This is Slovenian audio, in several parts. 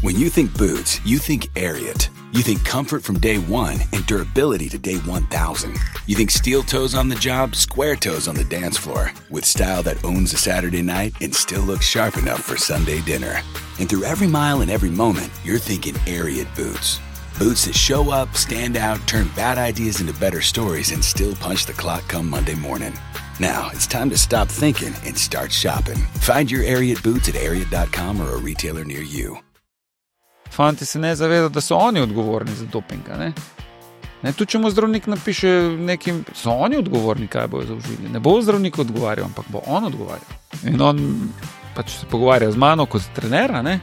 When you think boots, you think Ariat. You think comfort from day one and durability to day 1,000. You think steel toes on the job, square toes on the dance floor. With style that owns a Saturday night and still looks sharp enough for Sunday dinner. And through every mile and every moment, you're thinking Ariat boots. Boots that show up, stand out, turn bad ideas into better stories, and still punch the clock come Monday morning. Now, it's time to stop thinking and start shopping. Find your Ariat boots at ariat.com or a retailer near you. Fanti se ne zavedajo, da so oni odgovorni za doping, ne? Ne, tu če mu zdravnik napiše nekim, so oni odgovorni, kaj bojo zaužili. Ne bo zdravnik odgovarjal, ampak bo on odgovarjal. In on pač se pogovarja z mano kot trenera, ne?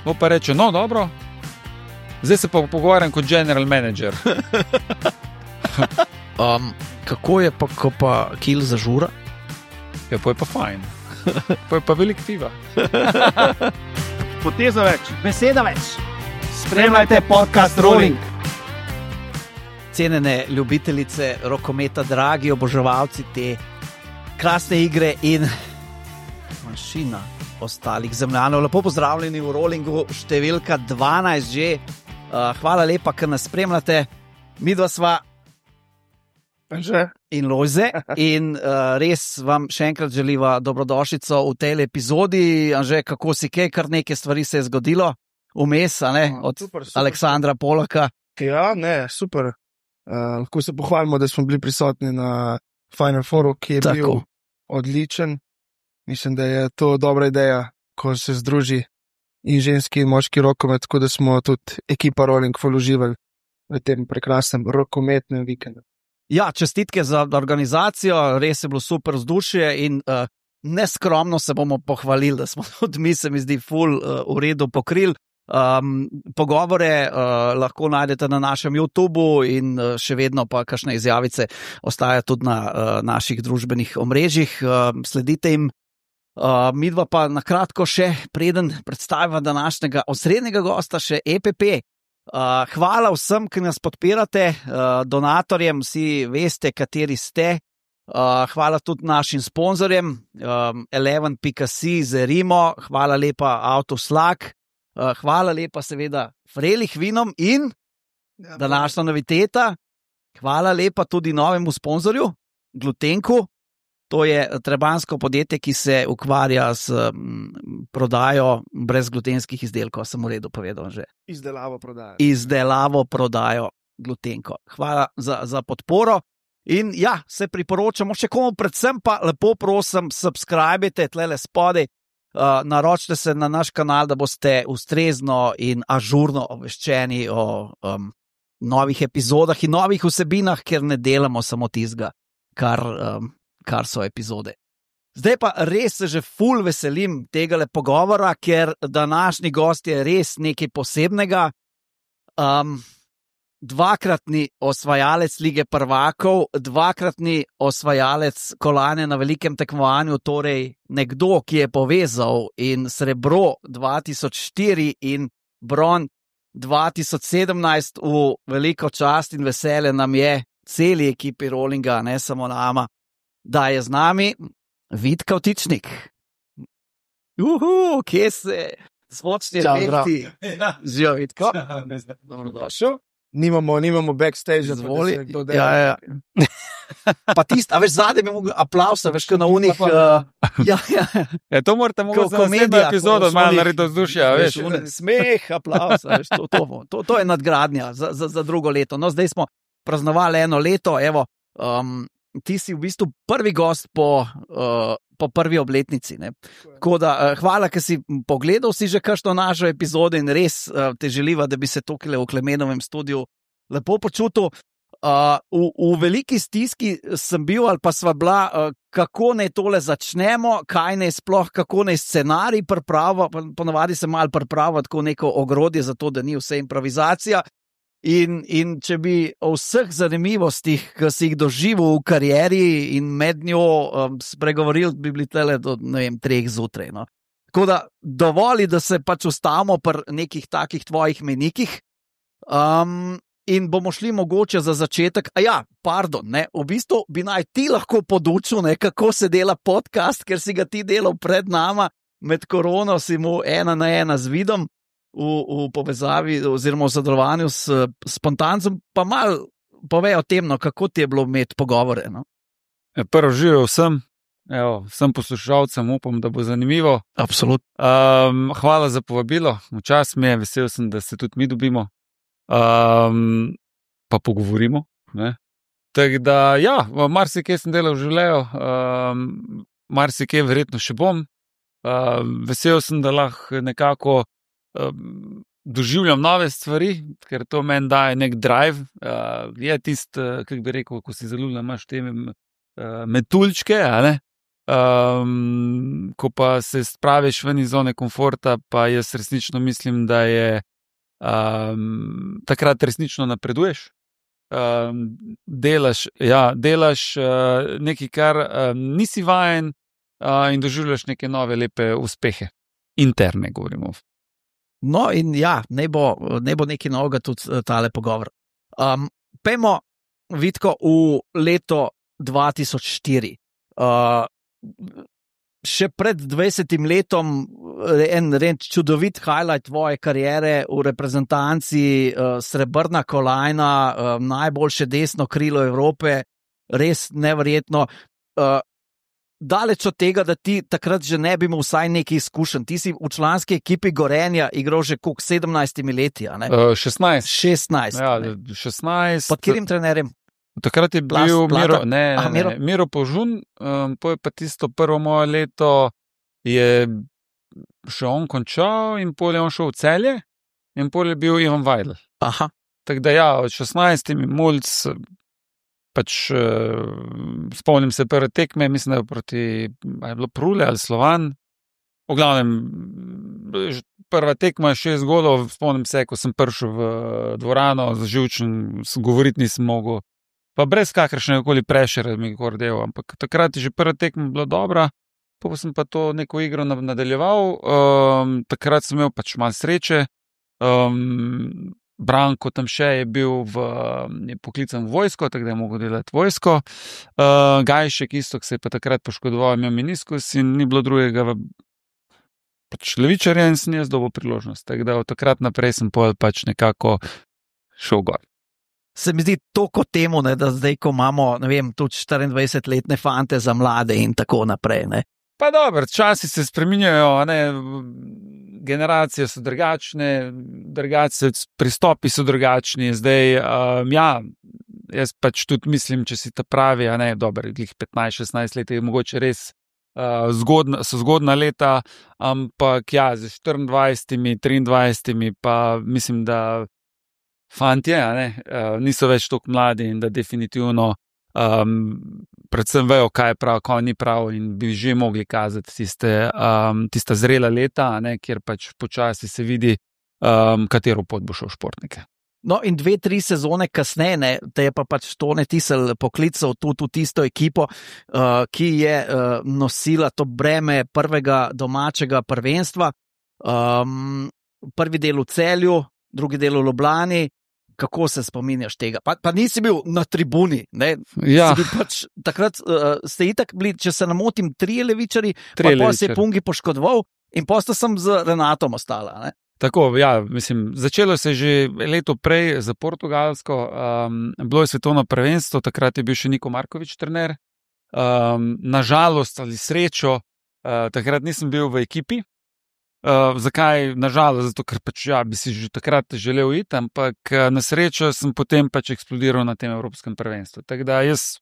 Bo pa reče, no dobro, zdaj se pa pogovarjam kot general manager. Kako je pa, ko pa kil zažura? Ja, pa je pa fajn. Pa je pa velik piva. Poteza več. Beseda več. Spremljajte podcast Rolling. Cenjene ljubitelice rokometa, dragi oboževalci te krasne igre in manjšina ostalih zemljanov. Lepo pozdravljeni v Rollingu, številka 12 že. Hvala lepa, ker nas spremljate. Midva sva Anže. In Lojze. In res vam še enkrat želiva dobrodošlico v tej epizodi. Anže, kako si kaj, kar nekaj stvari se je zgodilo vmes, a ne, od super. Aleksandra Polaka. Ja, ne, super. Lahko se pohvalimo, da smo bili prisotni na Final Fouru, ki je bil odličen. Mislim, da je to dobra ideja, ko se združi in ženski in moški rokomet, tako da smo tudi ekipa Rolling uživali v tem prekrasnem rokometnem vikendu. Ja, čestitke za organizacijo, res je bilo super vzdušje in neskromno se bomo pohvalili, da smo tudi mi, se mi zdi, ful v redu pokrili. Pogovore lahko najdete na našem YouTubu in še vedno pa kakšne izjavice ostaja tudi na naših družbenih omrežjih. Sledite jim. Midva pa na kratko še, preden predstaviva današnjega osrednjega gosta, še EPP. Hvala vsem, ki nas podpirate, donatorjem, vsi veste, kateri ste. Hvala tudi našim sponzorjem, 11.si, Zerimo, hvala lepa Autoslak, hvala lepa seveda Frelih vinom in današnja noviteta, hvala lepa tudi novemu sponzorju, Glutenku. To je trebanjsko podjetje, ki se ukvarja s prodajo brezglutenskih izdelkov. Sem v redu povedal že. Izdelavo prodajo Glutenko. Hvala za podporo. In ja, se priporočamo še komu, predvsem pa lepo prosim, subscribite tlele spodaj, naročite se na naš kanal, da boste ustrezno in ažurno obveščeni o novih epizodah in novih vsebinah, ker ne delamo samo tizga, kar so epizode. Zdaj pa res se že ful veselim tegale pogovora, ker današnji gost je res nekaj posebnega. Dvakratni osvajalec Lige prvakov, dvakratni osvajalec kolajne na velikem tekmovanju, torej nekdo, ki je povezal in srebro 2004 in bron 2017 v veliko čast in veselje nam je celi ekipi Rollinga, ne samo nama, da je z nami Vid Kavtičnik. Kje se zvočni efekti? Živijo, Vidko. Dobrodošel. Nimamo backstage, zvoli. Ja. Pa tist, a veš, zadaj bi mogel aplausa, veš, ko na unih... Ja, to morate mogli za naslednjo epizodo malo narediti vzdušja, veš. Smeh, aplausa, veš, to je nadgradnja za drugo leto. No, zdaj smo praznovali eno leto, evo, ti si v bistvu prvi gost po prvi obletnici. Ne? Tako da, hvala, ker si pogledal si že kakšno našo epizodo in res te želiva, da bi se tukaj v Klemenovem studiu lepo počutil. V veliki stiski sem bil ali pa sva bila, kako naj tole začnemo, kaj naj sploh, kako naj scenarij priprava, ponavadi se malo priprava tako neko ogrodje za to, da ni vse improvizacija. In če bi o vseh zanimivostih, ki si jih doživel v karieri in med njo spregovoril, bi bili tele do, 3 zjutraj. No. Tako da dovoli, da se pač ustavimo pri nekih takih tvojih menikih in bomo šli mogoče za začetek. V bistvu bi naj ti lahko podučil, kako se dela podcast, ker si ga ti delal pred nama, med korono si mu 1 na 1 z Vidom. v povezavi oziroma v sodelovanju s Spontancem, pa malo povej o tem, no, kako ti je bilo imeti pogovore. No? Prvo živel vsem poslušalcem, upam, da bo zanimivo. Absolutno. Hvala za povabilo, včasih mi je, vesel sem, da se tudi mi dobimo, pa pogovorimo. Tako da, marsikaj sem delal v življenju, marsikaj verjetno še bom. Vesel sem, da lahko nekako doživljam nove stvari, ker to meni daje nek drive. Je tisto, kako bi rekel, ko si zaljubljen, imaš te metuljčke, ko pa se spraviš ven iz zone komforta, pa jaz resnično mislim, da je takrat resnično napreduješ. Delaš nekaj, kar nisi vajen, in doživljaš neke nove lepe uspehe. Interne govorimo. No in ne bo nekaj novega tudi tale pogovor. Pejmo, Vitko, v leto 2004. Še pred 20 letom en čudovit highlight tvoje kariere v reprezentanci, srebrna kolajna, najboljše desno krilo Evrope, res neverjetno. Daleč od tega, da ti takrat že ne bi imel vsaj nekaj izkušenj. Ti si v članski ekipi Gorenja igral že koliko, 17 leti, a ne? 16. 16. Ja, 16. Pod katerim trenerjem? Takrat je bil Miro Požun, je pa tisto prvo moje leto je še on končal in pol je on šel v Celje in pol je bil Ivan Vajdl. Aha. Tako da od 16 mulc, spomnim se prve tekme, mislim, da je bilo Prule ali Slovan. V glavnem, prva tekma, 6 golov, spomnim se, ko sem prišel v dvorano, živčen, govoriti nisem mogel. Pa brez kakršnega koli prešera mi je gordeval, ampak takrat je že prva tekma bila dobra, pa sem pa to neko igro nadaljeval, takrat sem imel malo sreče, Branko Tamše je bil poklican v vojsko, tako da je mogel delati vojsko, Gajšek isto, ki se je pa takrat poškodoval, imel meniskus in ni bilo drugega, levičarja in sem jaz dobil priložnost, tako da od takrat naprej sem nekako šel gor. Se mi zdi toliko temu, da zdaj, ko imamo, ne vem, tudi 24-letne fante za mlade in tako naprej. Ne? Pa dobro, časi se spreminjajo, generacije so drugačne, pristopi so drugačni. Zdaj, jaz tudi mislim, če si ta pravi, dobro, 15-16 let je mogoče res so zgodna leta, ampak z 24, 23, pa mislim, da fantje, niso več toliko mladi in da definitivno predvsem vejo, kaj je prav, kaj ni prav in bi že mogli kazati tista zrela leta, kjer počasi se vidi, katero pot bo šel športnike. No in 2-3 sezone kasneje, te je pa Tone Tisel poklical tudi v tisto ekipo, ki je nosila to breme prvega domačega prvenstva. Prvi del v Celju, drugi del v Ljubljani. Kako se spominjaš tega? Pa nisi bil na tribuni, ne? Ja. Si bil takrat ste itak bili, če se namotim, 3 levičari, pa se je Pungi poškodoval in posta sem z Renatom ostala, ne? Tako, mislim, začelo se je že leto prej za Portugalsko, bilo je svetovno prvenstvo, takrat je bil še Niko Markovič trener, nažalost ali srečo, takrat nisem bil v ekipi. Zakaj? Nažalost, zato ker bi si že takrat želel iti, ampak na srečo sem potem eksplodiral na tem evropskem prvenstvu. Tako da jaz,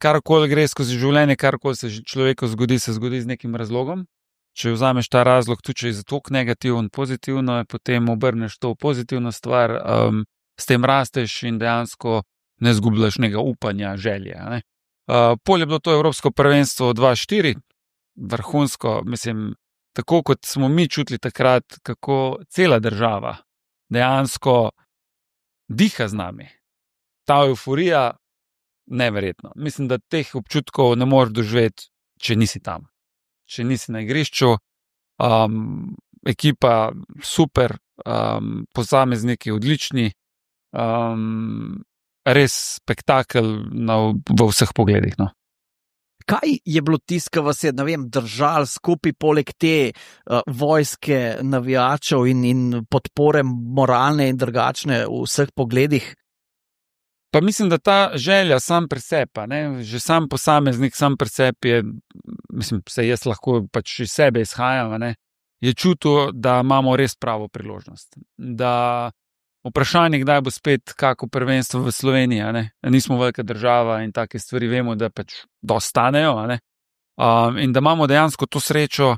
karkoli gre skozi življenje, karkoli se človeku zgodi, se zgodi z nekim razlogom. Če vzameš ta razlog, tudi če je zato negativen, pozitivno, potem obrneš to v pozitivno stvar, s tem rasteš in dejansko ne zgubljaš nekega upanja, želje. Pol je bilo to evropsko prvenstvo 2-4, vrhunsko, mislim, tako kot smo mi čutili takrat, kako cela država dejansko diha z nami. Ta euforija, neverjetno. Mislim, da teh občutkov ne moreš doživeti, če nisi tam. Če nisi na igrišču, ekipa super, posamezniki odlični, res spektakel v vseh pogledih. No. Kaj je bilo tisto, vas je, ne vem, držal skupaj poleg te vojske navijačev in podpore moralne in drugačne v vseh pogledih? Pa mislim, da ta želja sam pri sebi, že sam posameznik, sam pri sebi je, mislim, se jaz lahko pač iz sebe izhajam, je čutil, da imamo res pravo priložnost. Da vprašanje, kdaj bo spet kako prvenstvo v Sloveniji, nismo velika država in take stvari vemo, da pač dostanejo, in da imamo dejansko to srečo,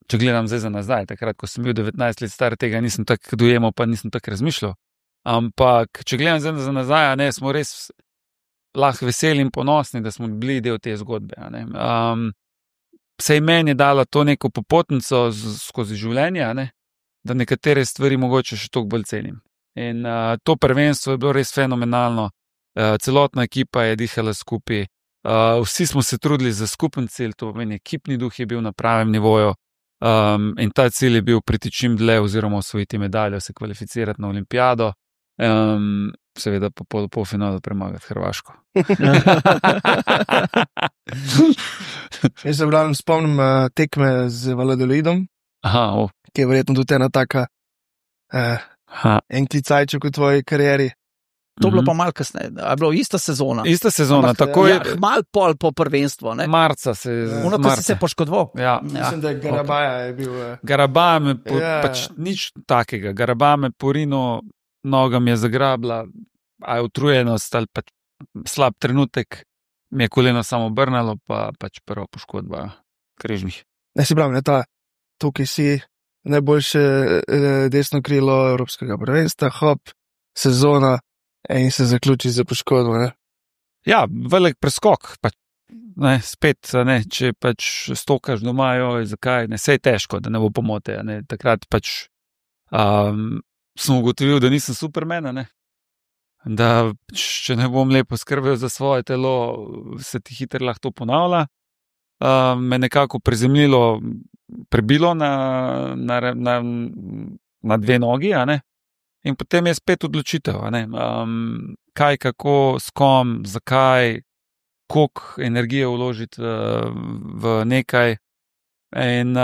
če gledam zdaj za nazaj, takrat, ko sem bil 19 let star, tega nisem tako dojemal, pa nisem tako razmišljal. Ampak, če gledam zdaj za nazaj, smo res lahko veseli in ponosni, da smo bili del te zgodbe. Sej meni je dala to neko popotnico skozi življenje, da nekatere stvari mogoče še toliko bolj cenim. In to prvenstvo je bilo res fenomenalno. Celotna ekipa je dihala skupaj. Vsi smo se trudili za skupen cilj, to pomeni, ekipni duh je bil na pravem nivoju. In ta cilj je bil priti čim dlje oziroma osvojiti medaljo, se kvalificirati na olimpijado. Seveda pa polfinalu premagati Hrvaško. Jaz se spomnim tekme z Valladolidom, ki je verjetno tudi ena taka enklicajček v tvoji karieri. To bilo pa malo kasneje, je bilo ista sezona. Ista sezona, tako je. Malo pol po prvenstvu. Marca se je. Ko si se poškodoval. Ja. Mislim, da je Garabaja je bil. Garabaja me, pač nič takega. Garabaja me porino, noga mi je zagrabila, a je utrujenost ali pač slab trenutek, mi je koleno samo obrnalo, pa pač prva poškodba križnih. Ne si pravim, tukaj si najboljše desno krilo Evropskega prvenstva, sezona, in se zaključi za poškodbo, Ja, velik preskok, pač, spet, če pač stokaš doma, zakaj, sej težko, da ne bo pomote, takrat pač sem ugotovil, da nisem Superman, da če ne bom lepo skrbel za svoje telo, se ti hitro lahko to ponavlja, me nekako prebilo na dve nogi, in potem je spet odločitev, kaj, kako, s kom, zakaj, koliko energije vložiti v nekaj. In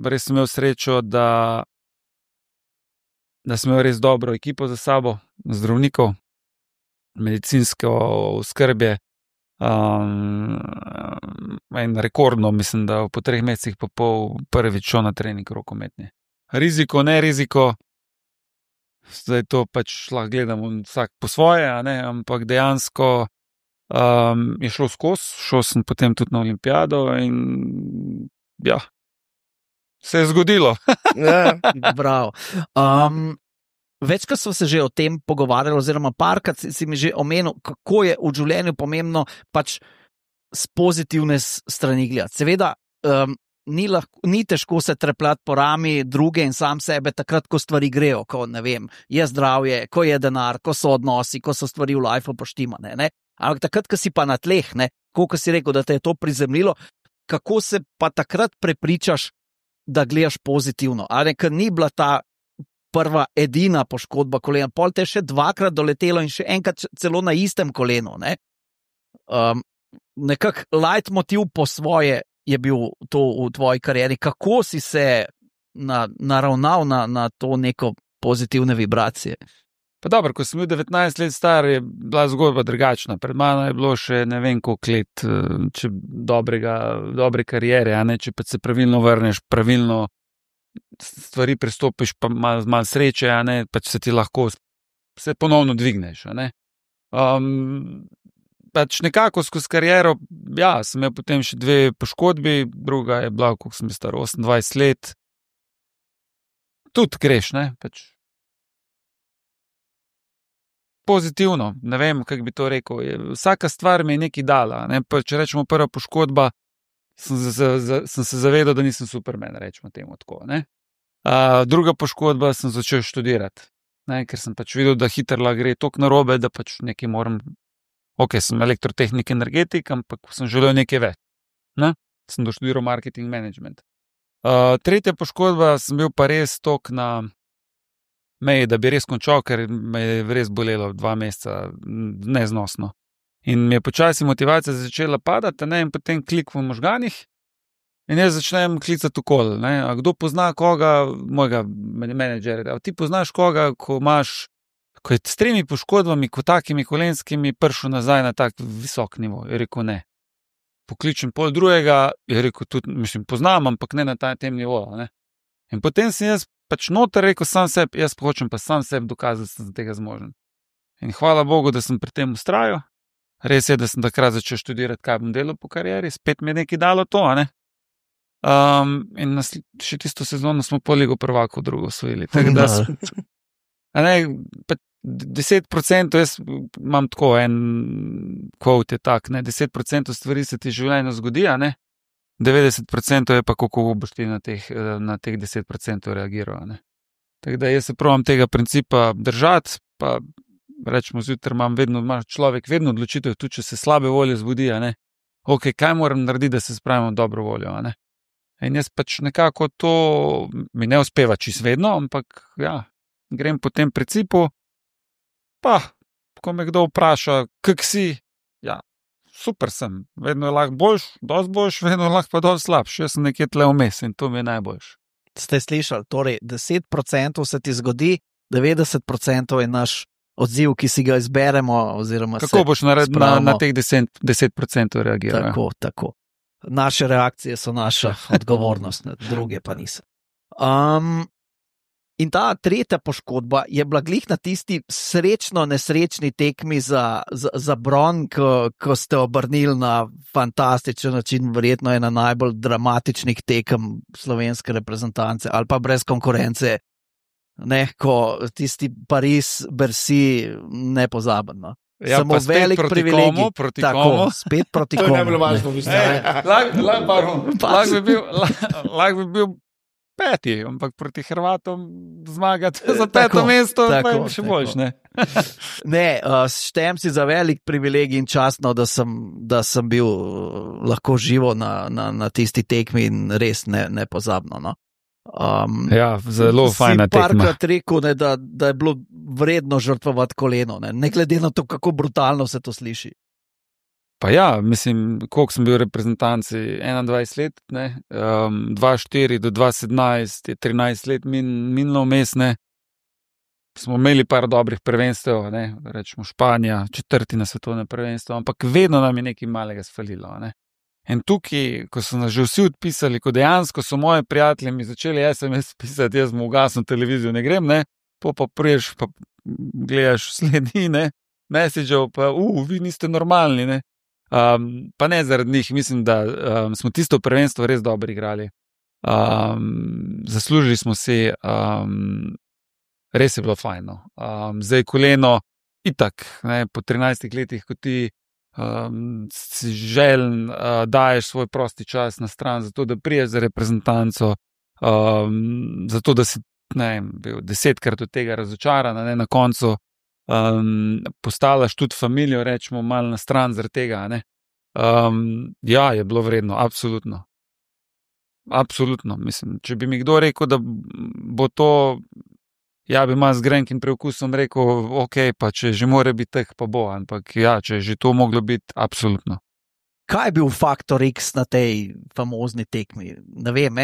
res sem imel srečo, da sem imel res dobro ekipo za sabo, zdravnikov, medicinsko oskrbje, in rekordno, mislim, da po 3 mesecih pa pol prvič šel na trening rokometni. Riziko, ne riziko, zdaj to pač lahko gledamo vsak po svoje, ampak dejansko je šlo skozi, šel sem potem tudi na olimpijado in se je zgodilo. Bravo. Večkrat smo se že o tem pogovarjali, oziroma parkrat si mi že omenil, kako je v življenju pomembno pač s pozitivne strani gledati. Seveda, ni težko se trepljati po rami druge in sam sebe takrat, ko stvari grejo, ko je zdravje, ko je denar, ko so odnosi, ko so stvari v lifeu poštimane, Ampak takrat, ko si pa na tleh, ko si rekel, da te je to prizemljilo, kako se pa takrat prepričaš, da gledaš pozitivno, ker ni bila ta prva edina poškodba kolena, pol te je še 2-krat doletelo in še enkrat celo na istem kolenu, nekak leitmotiv po svoje je bil to v tvoji karieri. Kako si se naravnal na to neko pozitivne vibracije? Pa dobro, ko sem bil 19 let star, je bila zgodba drugačna. Pred mano je bilo še ne vem koliko let, če dobre karijere, če pa se pravilno vrneš, pravilno stvari pristopiš, pa malo sreče, pač se ti lahko se ponovno dvigneš, pač nekako skozi kariero, sem imel potem še 2 poškodbi, druga je bila, koliko sem star, 28 let. Tudi greš, pač pozitivno, ne vem, kako bi to rekel. Vsaka stvar mi je nekaj dala, če rečemo prva poškodba, sem se zavedal, da nisem Superman, rečemo temu tako, druga poškodba, sem začel študirati, ker sem pač videl, da hitro lahko gre toliko narobe, da pač nekaj moram. Sem elektrotehnik, energetik, ampak sem želel nekaj več. Sem doštudiral marketing management. Tretja poškodba, sem bil pa res tok na meji, da bi res končal, ker me je res bolelo 2 meseca neznosno. In mi je počasi motivacija začela padati, ne, in potem klik v možganih in jaz začnem klicati okoli. A kdo pozna koga, mojega menedžerja, ti poznaš koga, ko je s 3 poškodbami, ko takimi kolenskimi prišel nazaj na tak visok nivo. Je rekel ne. Pokličem pol drugega, je rekel tudi, mislim, poznam, ampak ne na tem nivoju. Ne. In potem sem jaz pač noter rekel sam sebi, jaz hočem pa sam sebi dokazati, da sem za tega zmožen. In hvala Bogu, da sem pri tem ustrajal. Res je, da sem takrat začel študirati, kaj bom delal po karieri, spet mi je nekaj dalo to, a ne. In še tisto sezono smo po Ligo prvakov drugo osvojili. Tako da, a ne, pa 10%, jaz imam tako en quote je tak, ne, 10% stvari se ti življenju zgodi, a ne, 90% je pa kako boš ti na teh 10% reagiral, ne. Tako da jaz se probam tega principa držati, pa rečemo zjutraj ima človek vedno odločitev, tudi če se slabe volje zbudi, a ne, ok, kaj moram narediti, da se spravim v dobro voljo, a ne. In jaz pač nekako to mi ne uspeva čisto vedno, ampak ja, grem po tem principu, pa, ko me kdo vpraša, kak si, ja, super sem, vedno je lahko boljš, dosti boljš, vedno je lahko pa dosti slabš, jaz sem nekje tle vmes in to mi je najboljš. Ste slišali, torej 10% se ti zgodi, 90% je naš odziv, ki si ga izberemo, oziroma kako boš na teh 10% reagiral? Tako. Naše reakcije so naša odgovornost, druge pa niso. In ta tretja poškodba je bila glih na tisti srečno-nesrečni tekmi za bron, ko ste obrnili na fantastičen način, verjetno ena najbolj dramatičnih tekem slovenske reprezentance ali pa brez konkurence, ne, ko tisti Paris-Bercy nepozabno. Ja, samo velik privilegij. Proti komu? Spet proti komu. To je najbolj važno, mislim. Lahko bi bil 5, ampak proti Hrvatom zmagati za 5. mesto, pa je še boljš, ne? Ne, štejem si za velik privilegij in častno, da sem bil lahko živo na tisti tekmi in res nepozabno, no. Ja, zelo fajna tekma. Si parkrat rekel, ne, da je bilo vredno žrtvovati koleno, ne glede na to, kako brutalno se to sliši. Pa ja, mislim, koliko sem bil v reprezentanci, 21 let, ne, 2-4 do 2-17 je 13 let minilo vmes, ne. Smo imeli par dobrih prvenstev, ne, rečemo Španija, 4. na svetovne prvenstvo, ampak vedno nam je nekaj malega sfalilo, ne. In tukaj, ko so nas že vsi odpisali, ko dejansko so moji prijatelji mi začeli SMS pisati, jaz mu ugasno televizijo ne grem, ne, pa priješ, pa gledaš sledi, ne, messageov, pa vi niste normalni, ne. Pa ne zaradi njih, mislim, da smo tisto prvenstvo res dobro igrali. Zaslužili smo si, res je bilo fajno. Zdaj koleno, itak, ne, po 13 letih, ko ti si željen, daješ svoj prosti čas na stran, zato da priješ za reprezentanco, zato da si, ne vem, bil 10krat od tega razočaran, ne, na koncu postavljaš tudi familijo, rečemo, malo na stran zaradi tega, ne. Ja, je bilo vredno, absolutno. Absolutno, mislim, če bi mi kdo rekel, da bo to, ja, bi malo z grenkim preukusom rekel, ok, pa če že more biti teh, pa bo, ampak ja, če je že to moglo biti, absolutno. Kaj je bil faktor X na tej famozni tekmi? Ne vem,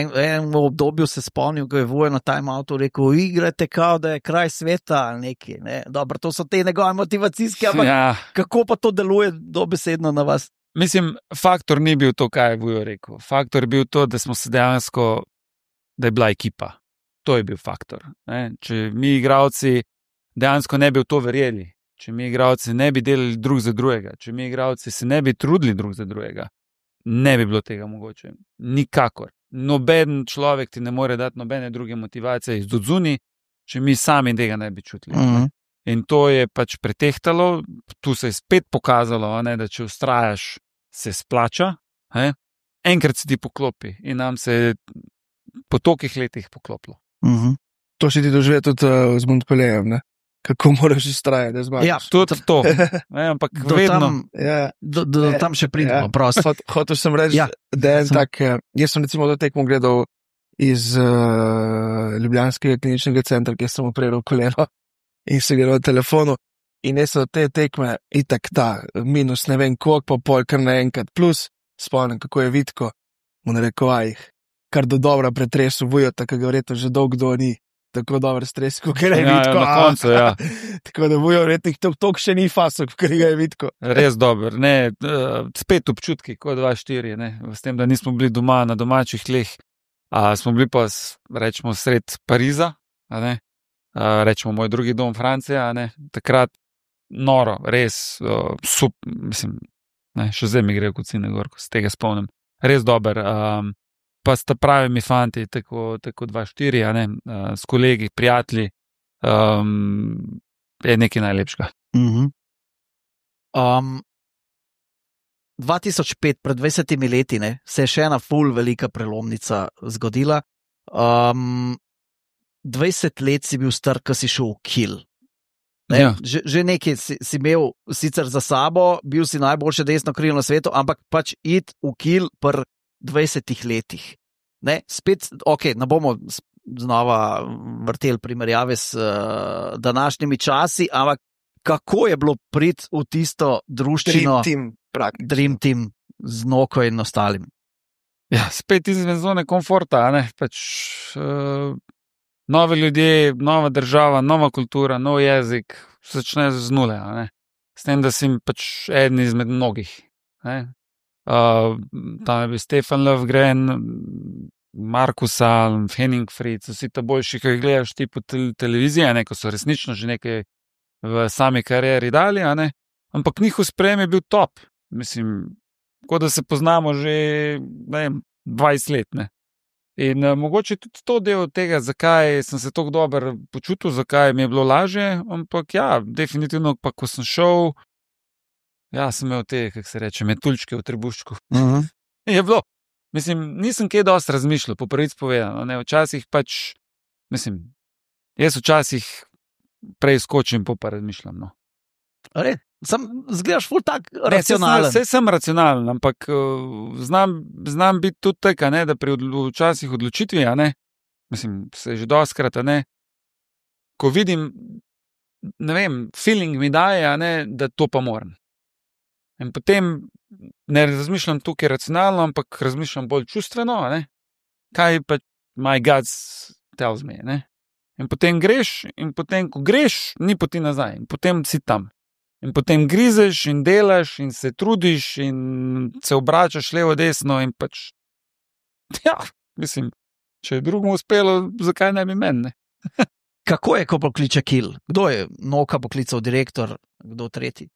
v obdobju se spomnil, ko je Vujo na timeoutu rekel, igrate kao, da je kraj sveta ali nekaj, ne? Dobro, to so te njegove motivacijske, ampak ja. Kako pa to deluje dobesedno na vas? Mislim, faktor ni bil to, kaj je Vujo rekel. Faktor je bil to, da smo se dejansko, da je bila ekipa. To je bil faktor. Ne? Če mi igralci dejansko ne bi v to verjeli, če mi igralci ne bi delali drug za drugega, če mi igralci se ne bi trudili drug za drugega, ne bi bilo tega mogoče. Nikakor. Noben človek ti ne more dati nobene druge motivacije iz odzuni, če mi sami tega ne bi čutili. In to je pač pretehtalo, tu se je spet pokazalo, ne, da če ustrajaš, se splača. Enkrat se ti poklopi in nam se je po tolikih letih poklopilo. To si ti doživel tudi z Montpellierjem, ne? Kako moraš ustrajati, da zmagaš. Ja, tudi to. Ampak vedno. Do tam še pridemo, prosto. Hotel sem reči, da je tak, jaz sem recimo do tekmo gledal iz Ljubljanskega kliničnega centra, kjer sem operal koleno in se gledal na telefonu in so te tekme itak ta minus ne vem koliko, pa pol kar naenkrat plus, spomnim, kako je Vitko v narekovajih, kar do dobra pretresu Vujota, ki ga verjetno že dolgo ni tako dober stres, kot je Vitko. Na koncu, ja. Tako da Vujo verjetno toliko še ni fasok, kot ga je Vitko. Res dober, ne, spet občutki, kot 2-4, ne, s tem, da nismo bili doma na domačih tleh, smo bili pa, rečemo, sred Pariza, ne, rečemo, moj drugi dom Francija, ne, takrat noro, res, mislim, ne, še zdaj mi gre v kocine gor, ko se tega spomnim, res dober, pa sta pravimi fanti, tako 2-4, ne, s kolegi, prijatelji, je nekaj najlepšega. 2005, pred 20 leti, ne, se je še ena ful velika prelomnica zgodila. 20 let si bil star, ko si šel v Kiel. Ja. Že nekaj si imel sicer za sabo, bil si najboljše desno krilo na svetu, ampak pač iti v Kiel pri 20 letih. Ne, spet, ok, ne bomo znova vrteli primerjave s današnjimi časi, ampak kako je bilo priti v tisto druščino Dream Team z Noko in ostalim? Ja, spet izven zone komforta, ne, pač nove ljudje, nova država, nova kultura, nov jezik, začne z nule, ne. S tem, da si pač eden izmed mnogih, ne. Tam je bil Stefan Löfgren, Markus Alm, Henning Fritz, vsi ta boljši, ki jih gledaš ti po televiziji, ne, ko so resnično že nekaj v sami karieri dali, ne, ampak njihov sprejem je bil top. Mislim, kot da se poznamo že, ne vem, 20 let, ne. In mogoče tudi to del tega, zakaj sem se tako dobro počutil, zakaj mi je bilo lažje, ampak ja, definitivno pa, ko sem šel, ja, sem imel te, kako se reče, metuljčke v trebuščku. Je bilo. Mislim, nisem kaj dosti razmišljal, po prvič povedano, ne, včasih pač, mislim, jaz včasih prej skočim, pa razmišljam, no. Zgledaš ful tak racionalen. Saj sem racionalen, ampak znam biti tudi tak, ne, da pri včasih odločitvi, ne, mislim, se že dostkrat, ne, ko vidim, ne vem, feeling mi daje, ne, da to pa moram. In potem ne razmišljam tukaj racionalno, ampak razmišljam bolj čustveno, ne, kaj pa my God tells me, ne. In potem greš, in potem, ko greš, ni poti nazaj, in potem si tam. In potem grizeš in delaš in se trudiš in se obračaš levo, desno in pač, ja, mislim, če je drugemu uspelo, zakaj ne bi meni, ne? Kako je, ko pokliče Kiel? Kdo je Noka poklical direktor, kdo tretji?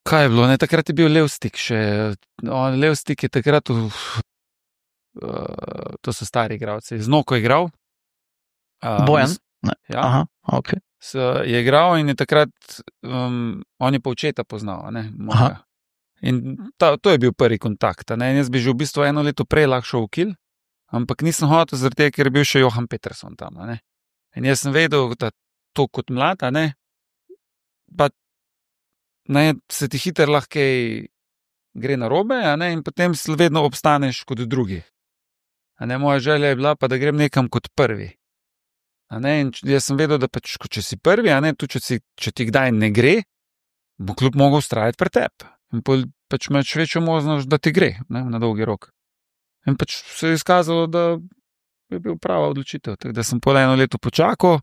Kaj je bilo, ne, takrat je bil Levstik še, Levstik je takrat to so stari igralci, z Noko je igral. Bojan? Ja. Aha, ok. Je igral in je takrat, on je pa očeta poznal, ne, moja. In to je bil prvi kontakt, ne, in jaz bi že v bistvu 1 leto prej lahko šel v Kiel, ampak nisem hotel zaradi tega, ker je bil še Johan Peterson tam, ne. In jaz sem vedel, da to kot mlad, ne, pa ne, se ti hitro lahko gre narobe, ne, in potem vedno obstaneš kot drugi. Ne, moja želja je bila pa, da grem nekam kot prvi. Ne, in jaz sem vedel, da pač, če si prvi, ne, tudi če ti kdaj ne gre, bo klub mogel vztrajati pred tebi. In pač imaš večjo možnost, da ti gre, ne, na dolgi rok. In pač se je izkazalo, da je bil prava odločitev. Tako da sem pol 1 leto počakal,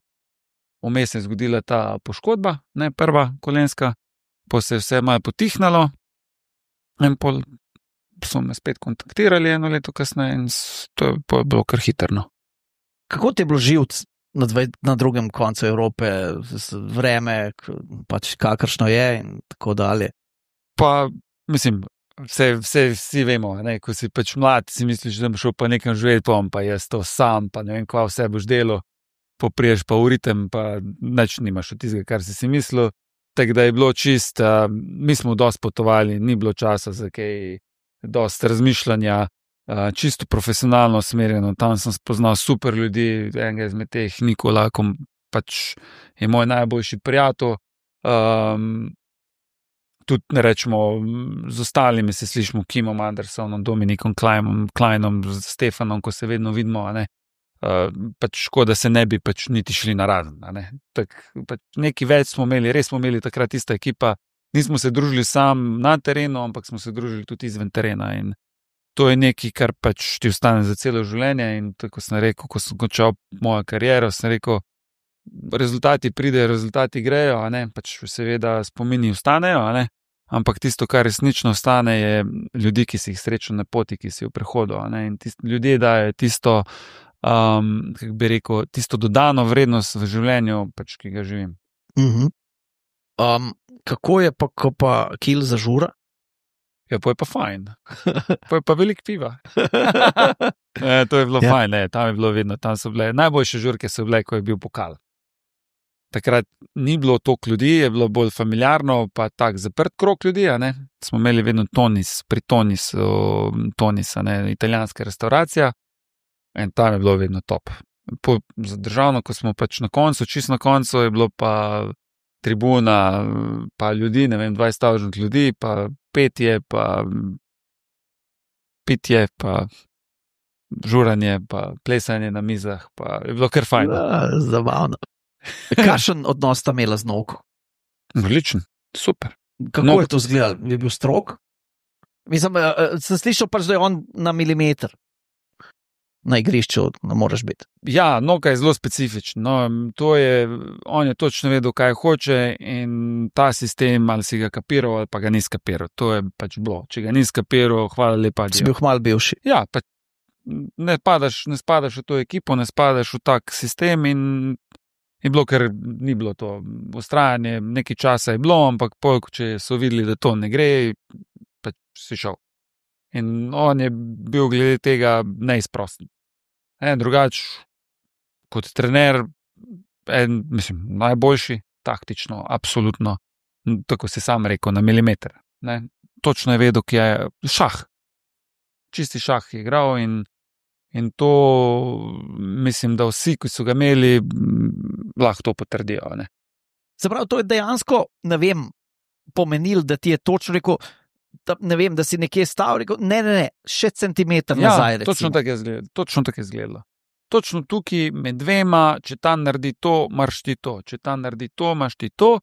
vmes je zgodila ta poškodba, ne, prva kolenska, pol se je vse malo potihnalo in pol so me spet kontaktirali 1 leto kasneje in to je bilo kar hitrno. Kako ti je bilo živeti na drugem koncu Evrope, vreme, pač kakršno je in tako dalje? Pa, mislim, vsi vemo, ne, ko si pač mlad, si misliš, da boš šel pa nekam živeti, pa jaz to sam, pa ne vem, kva vse boš delal, popriješ pa v ritem, pa nič nimaš od tistega, kar si mislil. Tako da je bilo čist, mi smo dosti potovali, ni bilo časa za kaj dosti razmišljanja, čisto profesionalno usmerjeno, tam sem spoznal super ljudi, enega izmed teh Nikola, pač je moj najboljši prijatelj, tudi rečemo, z ostalimi se slišimo, Kimom Andersonom, Dominikom Kleinom, z Stefanom, ko se vedno vidimo, ne. pač škoda se ne bi pač niti šli na razen. Pač nekaj več smo imeli, res smo imeli takrat ista ekipa, nismo se družili sam na terenu, ampak smo se družili tudi izven terena in to je nekaj, kar pač ti ostane za celo življenje in tako sem rekel, ko sem končal mojo kariero, sem rekel, rezultati pridejo, rezultati grejo, pač seveda spomini ostanejo, ampak tisto, kar resnično ostane, je ljudi, ki si jih srečal na poti, ki si v prehodu. In ljudje dajo tisto, kako bi rekel, tisto dodano vrednost v življenju, pač, ki ga živim. Kako je pa, ko pa kil zažura? Ja, pa je pa fajn. Pa je pa veliko piva. To je bilo fajn, tam je bilo vedno, tam so bile najboljše žurke so bile, ko je bil pokal. Takrat ni bilo toliko ljudi, je bilo bolj familiarno, pa tak zaprt krog ljudi, Smo imeli vedno pri Tonis, italijanska restauracija in tam je bilo vedno top. Za državno, ko smo pač na koncu, čisto na koncu, je bilo pa tribuna, pa ljudi, 20 ljudi, pa petje, pa pitje, pa žuranje, pa plesanje na mizah, pa je bilo kar fajn. Zabavno. Kakšen odnos sta imela z Novko? Odličen, super. Kako je to izgledalo? Je bil strog? Mislim, sem slišal pač, da je on na milimeter na igrišču, ne moreš biti. Ja, Novka je zelo specifičen. On je točno vedel, kaj hoče in ta sistem, ali si ga kapiral, ali pa ga ni skapiral. To je pač bilo. Če ga ni skapiral, hvala lepa. Si bil hmal bivši. Ja, pač ne spadaš v to ekipo, ne spadaš v tak sistem in je bilo, ker ni bilo to ustrajanje, nekaj časa je bilo, ampak če so videli, da to ne gre, pač si šel. In on je bil glede tega neizprosten. Drugač, kot trener, najboljši, taktično, absolutno, tako si sam rekel, na milimeter. Točno je vedel, ki je šah. Čisti šah je igral in to mislim, da vsi, ki so ga imeli, lahko to potrdijo. Se pravi, to je dejansko, pomenil, da ti je točno rekel, da si nekje stal, rekel, ne, še centimeter nazaj. Ja, točno tako je izgledalo. Točno tukaj med dvema, če ta naredi to, imaš ti to, če ta naredi to, imaš ti to,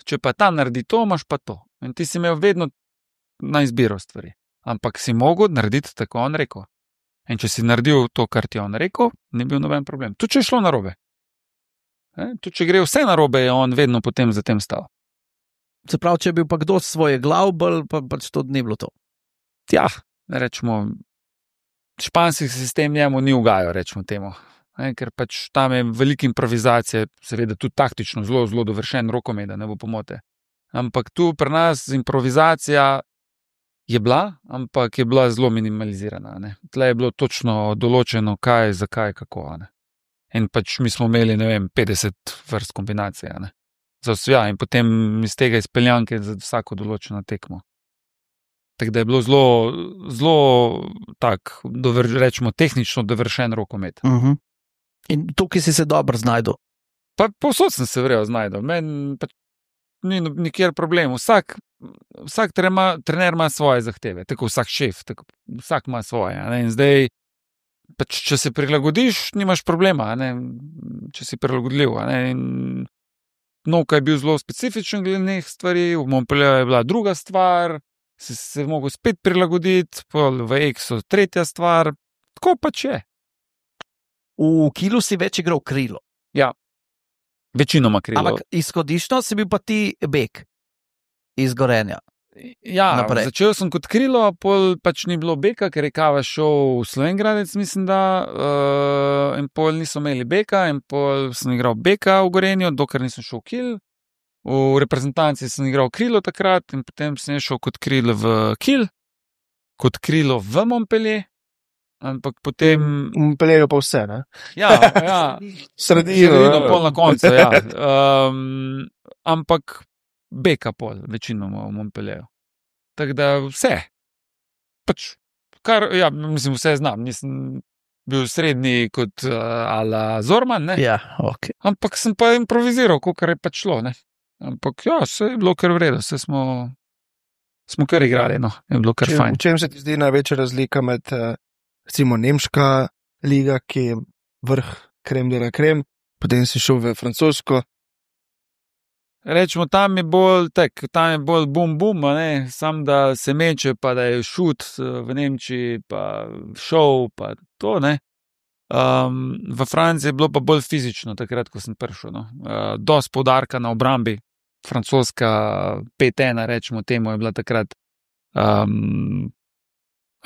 če pa ta naredi to, imaš pa to. In ti si imel vedno na izbiro stvari. Ampak si mogel narediti tako, on rekel. In če si naredil to, kar ti je on rekel, ni bil noben problem. Tudi če je šlo narobe. Tudi če gre vse narobe, je on vedno potem za tem stal. Se pravi, če je bil pa kdo svoje glavbel, pa pač to ni bilo to. Ja, rečemo, španski sistem njemu ni ugajal, rečemo temu. Ker pač tam je velika improvizacija, seveda tudi taktično zelo, zelo dovršen rokomet, da ne bo pomote. Ampak tu pri nas improvizacija je bila, ampak je bila zelo minimalizirana. Tle je bilo točno določeno, kaj, zakaj, kako. In pač mi smo imeli, 50 vrst kombinacije. Za vse, in potem iz tega izpeljanke za vsako določeno tekmo. Tako da je bilo zelo, zelo tak, rečemo, tehnično dovršen rokomet. In tukaj si se dobro znajdel? Pa povsod sem se verjel znajdel. Meni pač ni nikjer problem. Vsak trener ima svoje zahteve, tako vsak šef, tako vsak ima svoje. In zdaj, pač, če se prilagodiš, nimaš problema, če si prilagodljiv. Novka je bil zelo specifičen glede nekih stvari, v Montpellieru je bila druga stvar, si se mogel spet prilagoditi, v Exu tretja stvar, tako pač je. V Kilu si več igral krilo. Ja, večinoma krilo. Ampak izhodiščno si bil pa ti bek iz Gorenja. Ja, naprej. Začel sem kot krilo, pol pač ni bilo beka, ker je Kava šel v Slovengradec, mislim da, in pol niso imeli beka, in pol sem igral beka v Gorenju, dokler nisem šel v Kil. V reprezentanci sem igral krilo takrat in potem sem šel kot krilo v Kil, kot krilo v Montpellier, ampak potem... Montpellieru pa vse, ne? Ja. Sredino, pol na koncu, ja. Ampak beka pol, večinoma v Montpellieru. Tako da vse. Pač, mislim, vse znam. Nisem bil srednji kot ala Zorman, ne? Ja, ok. Ampak sem pa improviziral, kolikor je pač šlo, ne? Ampak ja, vse je bilo kar v redu, vse smo kar igrali, no. Je bilo kar fajn. V čem se ti zdi največja razlika med, recimo, nemška liga, ki vrh krem de la krem, potem si šel v francosko. Rečemo, tam je bolj bum, sam da se meče, pa da je šut v Nemčiji, pa šov, pa to, ne. V Franciji je bilo pa bolj fizično, takrat, ko sem prišel, no. Dosti poudarka na obrambi, francoska 5-1, rečemo temu, je bila takrat.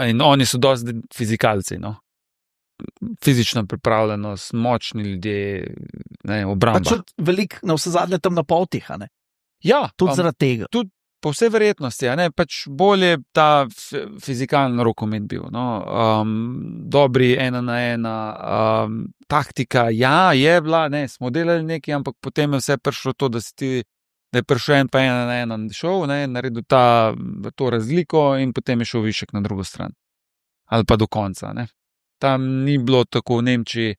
In oni so dosti fizikalci, no. Fizična pripravljenost, močni ljudje, ne, obramba. Pa čut veliko na vse zadnje tam na potih, a ne? Ja. Tudi zaradi tega. Tudi po vsej verjetnosti, a ne, pač bolje ta fizikalni rokomet bil, no. Dobri 1-1, taktika, ja, je bila, ne, smo delali nekaj, ampak potem je vse prišlo to, da je prišel en pa 1-1 šel, ne, naredil to razliko in potem je šel višek na drugo stran. Ali pa do konca, ne. Tam ni bilo tako v Nemčiji,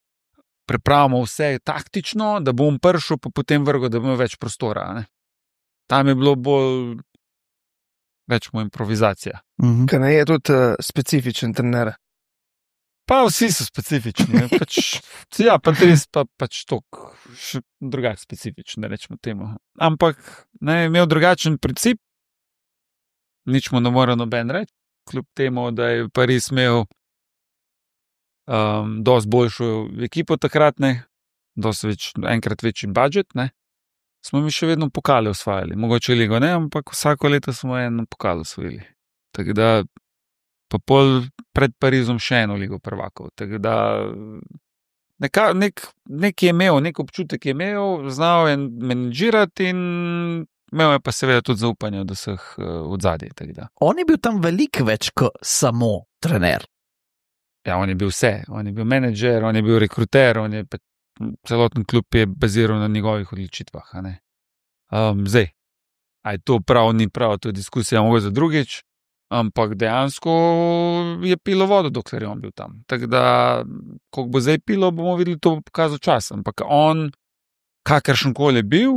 pripravimo vse taktično, da bom prišel, pa potem vrgel, da bo več prostora, ne. Tam je bilo bolj več improvizacija. Kaj ne je tudi specifičen trener? Pa vsi so specifični. Pa res pač toliko drugače specifični, rečemo temu. Ampak ne, imel drugačen princip, nič mu ne more noben reči, kljub temu, da je Pariz imel dosti boljšo ekipo takrat, ne, enkrat večji budžet, ne. Smo mi še vedno pokale osvajali, mogoče ligo ne, ampak vsako leto smo eno pokal osvojili. Tako da pa pol pred Parizom še eno ligo prvakov. Tako da nek je imel, nek občutek je imel, znal je menedžirati in imel je pa seveda tudi zaupanje od vseh odzadij. On je bil tam veliko več kot samo trener. Ja, on je bil vse. On je bil menedžer, on je bil rekruter, celoten klub je baziral na njegovih odločitvah. Zdaj, a je to prav, ni prav, to je diskusija mogoče za drugič, ampak dejansko je pilo vodo, dokler je on bil tam. Tako da, koliko bo zdaj pilo, bomo videli, to bo pokazal čas. Ampak on, kakršenkoli je bil,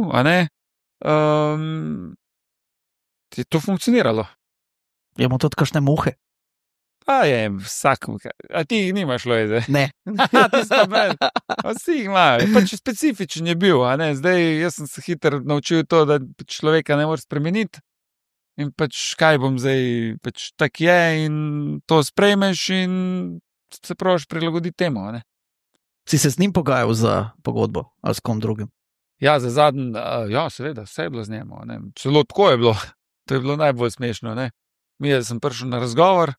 je to funkcioniralo. Je mu tudi kakšne muhe? Pa je, vsak, a ti jih nimaš, Lojze? Ne. Ti sta brez. Vsi jih imajo. Pač specifičen je bil, Zdaj, jaz sem se hitro naučil to, da človeka ne moreš spremeniti. In pač kaj bom zdaj, pač tak je in to sprejmeš in se praviš prilagoditi temu, Si se z njim pogajal za pogodbo ali s kom drugim? Ja, za zadnji, ja, seveda, vse je bilo z njemu, Celo tako je bilo. To je bilo najbolj smešno, sem prišel na razgovor,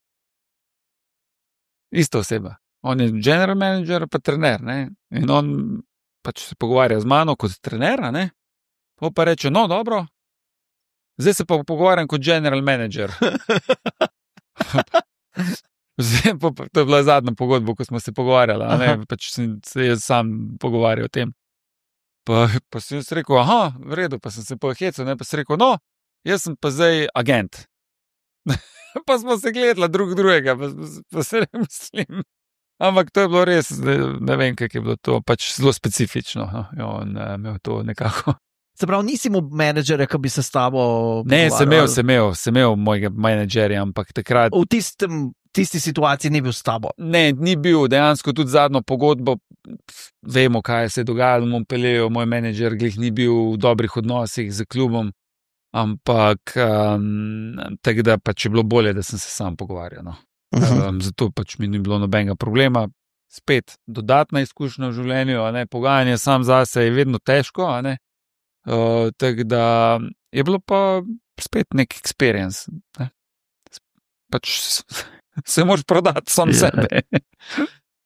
ista oseba. On je general manager, pa trener, In on pač se pogovarja z mano kot trener, pa reče, no, dobro, zdaj se pa pogovarjam kot general manager. To je bila zadnja pogodba, ko smo se pogovarjali, pač se jaz sam pogovarjal o tem. Pa sem jaz rekel, v redu, pa sem se pohecel, pa sem rekel, no, jaz sem pa zdaj agent. Pa smo se gledali drugega, pa se ne mislim. Ampak to je bilo res, ne vem, kako je bilo to, pač zelo specifično. On imel to nekako. Se pravi, nisi mu menedžerja, ki bi se s tabo pogovarjal? Ne, sem imel mojega menedžerja, ampak takrat... V tisti situaciji ni bil s tabo? Ne, ni bil, dejansko tudi zadnjo pogodbo, vemo, kaj se je dogajalo v Montpellieru, moj menedžer glih ni bil v dobrih odnosih z klubom. Ampak tako da pač je bilo bolje, da sem se sam pogovarjal. Zato pač mi ni bilo nobenega problema. Spet dodatna izkušnja v življenju, pogajanje sam zase je vedno težko, tako da je bilo pa spet nek experience. Pač se moraš prodati sam sebe.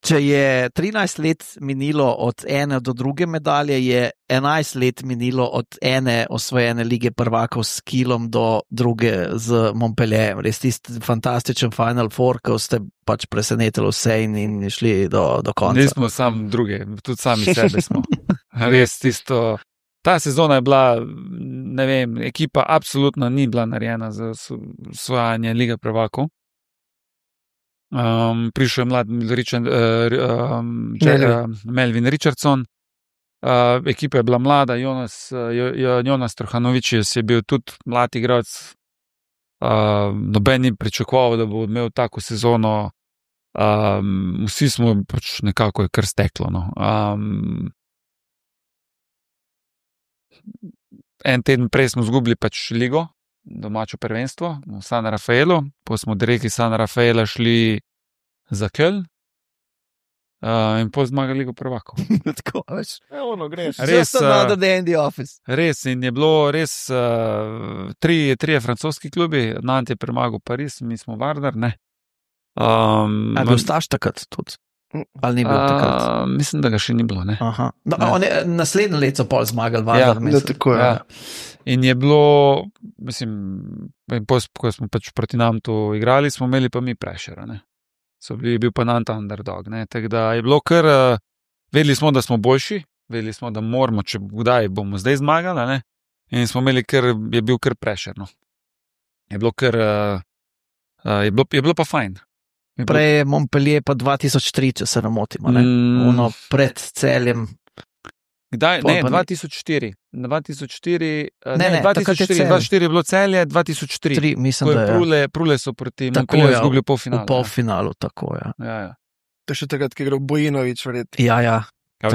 Če je 13 let minilo od ene do druge medalje, je 11 let minilo od ene osvojene lige prvakov s Kielom do druge z Montpellierjem. Res tisti fantastičen Final Four, ko ste pač presenetili vse in šli do konca. Nismo samo druge, tudi sami sebe smo. Res tisto. Ta sezona je bila, ne vem, ekipa absolutno ni bila narejena za osvajanje lige prvakov. Prišel je mlad Melvin Richardson, ekipa je bila mlada, Jonas Trhanovičius je bil tudi mlad igralec, noben ni pričakoval, da bo imel tako sezono, Vsi smo pač nekako je kar steklo. No. En teden prej smo izgubili pač ligo, domačo prvenstvo v San Rafaelu, pa smo direktno iz San Rafaela šli za Köln in potem zmagali ligo prvakov. Tako, veš. Ono greš. Res, Just another day in the office. Res, in je bilo res trije francoski klubi, Nantes je premagal Pariz, mi smo Vardar, ne. A bil Staš takrat tudi? Ali ni bil takrat? Mislim, da ga še ni bilo, ne. Aha. No, naslednje leto so pol zmagali Vardar. Ja, tako je. Ja. In je bilo, mislim, ko smo pač proti nam tu igrali, smo imeli pa mi pressure, ne. Je bil pa Nantes underdog, ne. Tako da je bilo kar, vedeli smo, da smo boljši, vedeli smo, da moramo, če kdaj bomo zdaj zmagali, ne. In smo imeli kar, je bil kar pressure, no. Je bilo kar, je bilo pa fajn. Prej je Montpellier pa 2003, če se ne motim, ne? Ono pred Celjem. Kdaj? Ne, 2004. 2004 je bilo Celje, 2003. Mislim, da je. Prule so proti Montpellieru izgubili polfinale. V polfinalu, tako, ja. Ja. To je še takrat, ki je igral Bojinović, verjetno. Ja.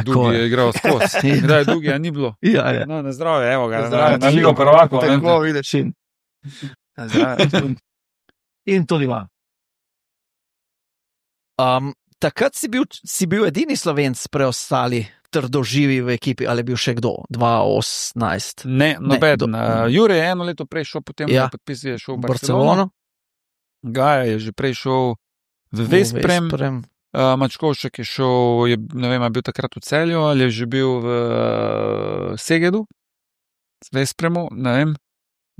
Dugi je igral skozi. Kdaj je Dugi, a ni bilo? Ja. No, na zdravje, evo ga. Na ligo prvakov. Tako vidiš. Na zdravje. In tudi vam. Takrat si bil edini Slovenc preostali trdoživi v ekipi, ali je bil še kdo? 2018? Ne, nobeden. Jure je eno leto prej šel, potem je šel v Barcelono. Gaja je že prej šel v Vesprem. Mačkovšek je šel, ne vem, je bil takrat v Celju, ali je že bil v Segedu, v Vespremu, ne vem.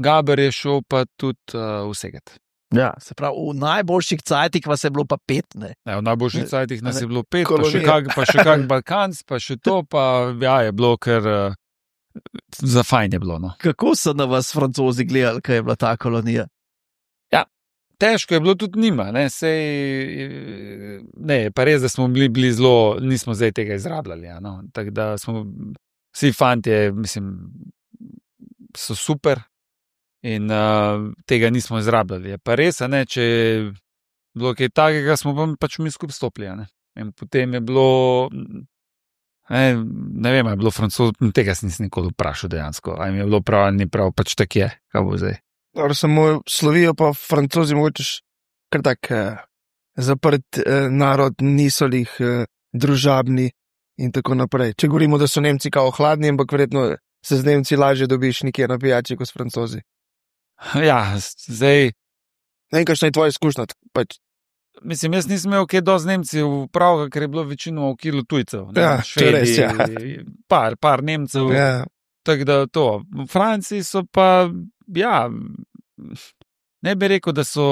Gaber je šel pa tudi v Seged. Ja, se pravi, v najboljših cajtih vas je bilo pa 5, ne? Ja, v najboljših cajtih nas je bilo 5, pa še kak Balkanc, pa še to, pa ja, je bilo kar za fajn je bilo, no. Kako so na vas Francozi gledali, kaj je bila ta kolonija? Ja, težko je bilo tudi njima, ne, pa res, da smo bili zelo, nismo zdaj tega izrabljali, ja, no, tako da smo, vsi fantje, mislim, so super. In tega nismo izrabljali. Je pa res, ne, če je bilo kaj takega, smo pač mi skupaj stopili. Ne. In potem je bilo, ne vem, je bilo Francoz, tega sem nikoli vprašal dejansko. A jim je bilo prav, ni prav, pač tak je, kaj bo zdaj. Dobro, samo Slovijo pa Francozi mogoče kar tak zaprt narod, niso jih družabni in tako naprej. Če govorimo, da so Nemci kao hladni, ampak verjetno se z Nemci lažje dobiš nekje na pijači kot s Francozi. Ja, zdaj... Ne vem, kakšna je tvoja izkušnja? Pač. Mislim, jaz nisem imel kaj dosti Nemcev prav, ker je bilo večino v kilu tujcev. Ja, Švedi, res, ja. Par Nemcev. Ja. Tako da to. V Franciji so pa, ja, ne bi rekel, da so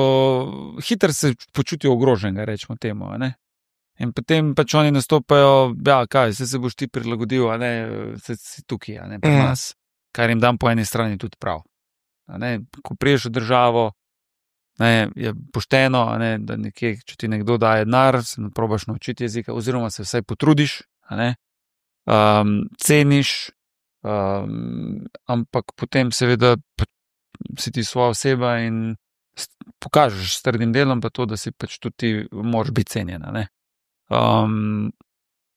hitro se počutijo ogroženega, rečemo temu, ne. In potem pač oni nastopajo, ja, kaj, se boš ti prilagodil, a ne, si tukaj, a ne, pri nas. Kar jim dam po eni strani tudi prav. Ne, ko priješ v državo, ne, je pošteno, ne, da nekje, če ti nekdo daje denar, se probaš naučiti jezika, oziroma se vsaj potrudiš, ne, ceniš, ampak potem seveda si ti svoja oseba in pokažeš s trdim delom pa to, da si pač tudi ti moraš biti cenjena. Ne,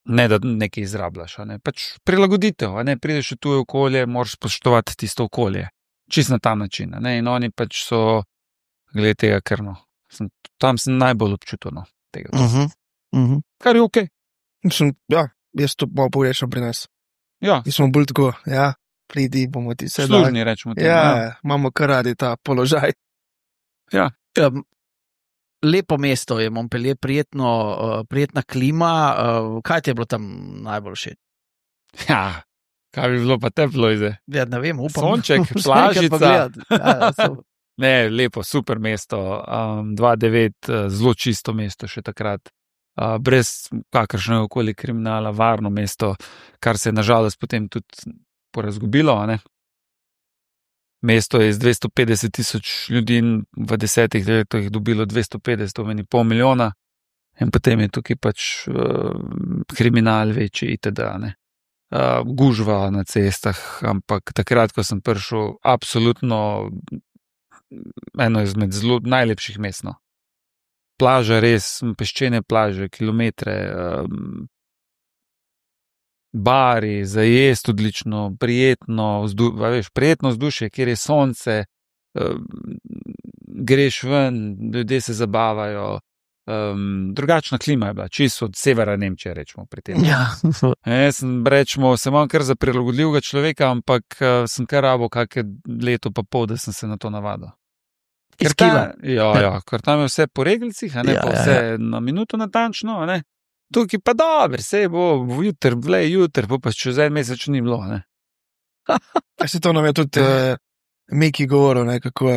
ne da nekaj izrabljaš, ne, pač prilagoditev, ne, prideš v tuje okolje, moraš spoštovati tisto okolje. Čist na ta način, ne, in oni pač so, glede tega, ker no, tam sem najbolj občutil, no, tega. Kar je okej. Mislim, ja, jaz to malo pogrešam pri nas. Ja. Mi smo bolj tako, ja, pridi, bomo ti se služni, rečemo temu. Ja, imamo kar radi ta položaj. Ja. Lepo mesto je Montpellier, prijetna klima, kaj ti je bilo tam najbolj všeč? Ja. Kaj bi bilo pa teplo izde? Ja, ne vem, upam. Sonček, plažica. Ne, lepo, super mesto. 2009, zelo čisto mesto še takrat. Brez kakršnega okoli kriminala, varno mesto, kar se je nažalost potem tudi porazgubilo. Ne? Mesto je z 250,000 ljudi v 10 letih dobilo 250, to meni $500,000. In potem je tukaj pač kriminal večji itd., ne. Gužva na cestah, ampak takrat, ko sem prišel, absolutno eno izmed zelo najlepših mest. plaža res, peščene plaže, kilometre, bari, za jesti odlično, prijetno vzdušje, kjer je sonce, greš ven, ljudje se zabavajo, drugačna klima je bila, čisto od severa Nemčije, rečemo pri tem. Ja. Sem imam kar za prilagodljivega človeka, ampak sem kar rabo kakšne leto pa pol, da sem se na to navadil. Ker tam je vse po reglicih, vse na minuto natančno, tukaj pa dobro, vse bo jutr, pa čez en mesec ni bilo. Se to nam je tudi Miki govoril, kako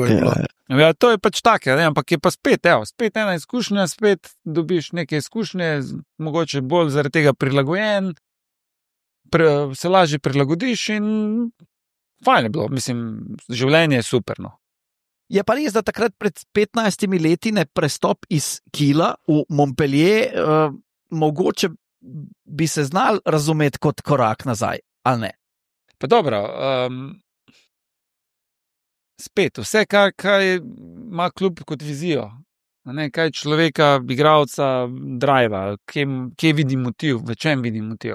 je bilo. Ja, to je pač tako, ampak je pa spet ena izkušnja, spet dobiš neke izkušnje, mogoče bolj zaradi tega prilagojen, se lažje prilagodiš in fajn je bilo, mislim, življenje je superno. Je pa res, da takrat pred 15 leti prestop iz Kila v Montpellier, mogoče bi se znal razumeti kot korak nazaj, ali ne? Pa dobro, spet, vse, kar ima klub kot vizijo, kaj človeka, igralca, driva, kje vidi motiv, v čem vidi motiv.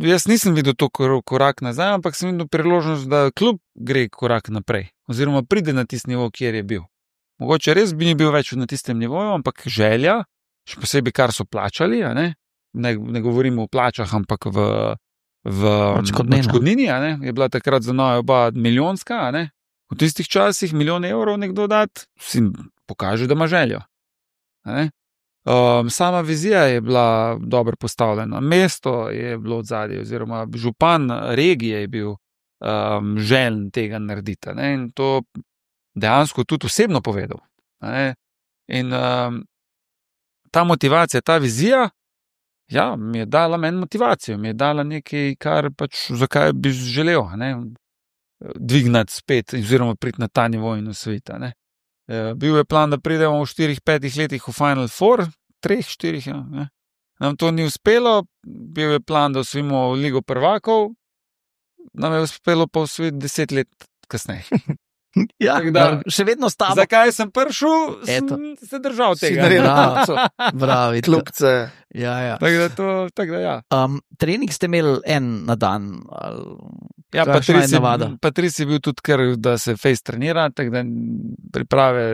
Jaz nisem videl to korak nazaj, ampak sem videl priložnost, da klub gre korak naprej, oziroma pride na tisti nivo, kjer je bil. Mogoče res bi ni bil več na tistem nivoju, ampak želja, še posebej kar so plačali, ne govorimo o plačah, ampak v odškodnini, je bila takrat za nove oba milijonska, v tistih časih 1 milijon evrov nekdo dati, si pokaže, da ima željo. Sama vizija je bila dobro postavljena, mesto je bilo odzadje, oziroma župan regije je bil željen tega narediti, in to dejansko tudi osebno povedal. In ta motivacija, ta vizija, ja, mi je dala meni motivacijo, mi je dala nekaj, kar pač zakaj bi želel, dvignati spet, oziroma priti na ta nivo in osvojiti. Bil je plan, da pridemo v 4-5 letih v Final Four, 3-4, Nam to ni uspelo, bil je plan, da osvojimo Ligo prvakov, nam je uspelo pa osvojiti 10 let kasneje. Ja, še vedno stavim. Zakaj sem prišel, sem se držal tega. Bravi, klubce. Ja. Tako da, ja. Trening ste imeli en na dan? Ja, Patrici je bil tudi kar, da se face trenira, tako da priprave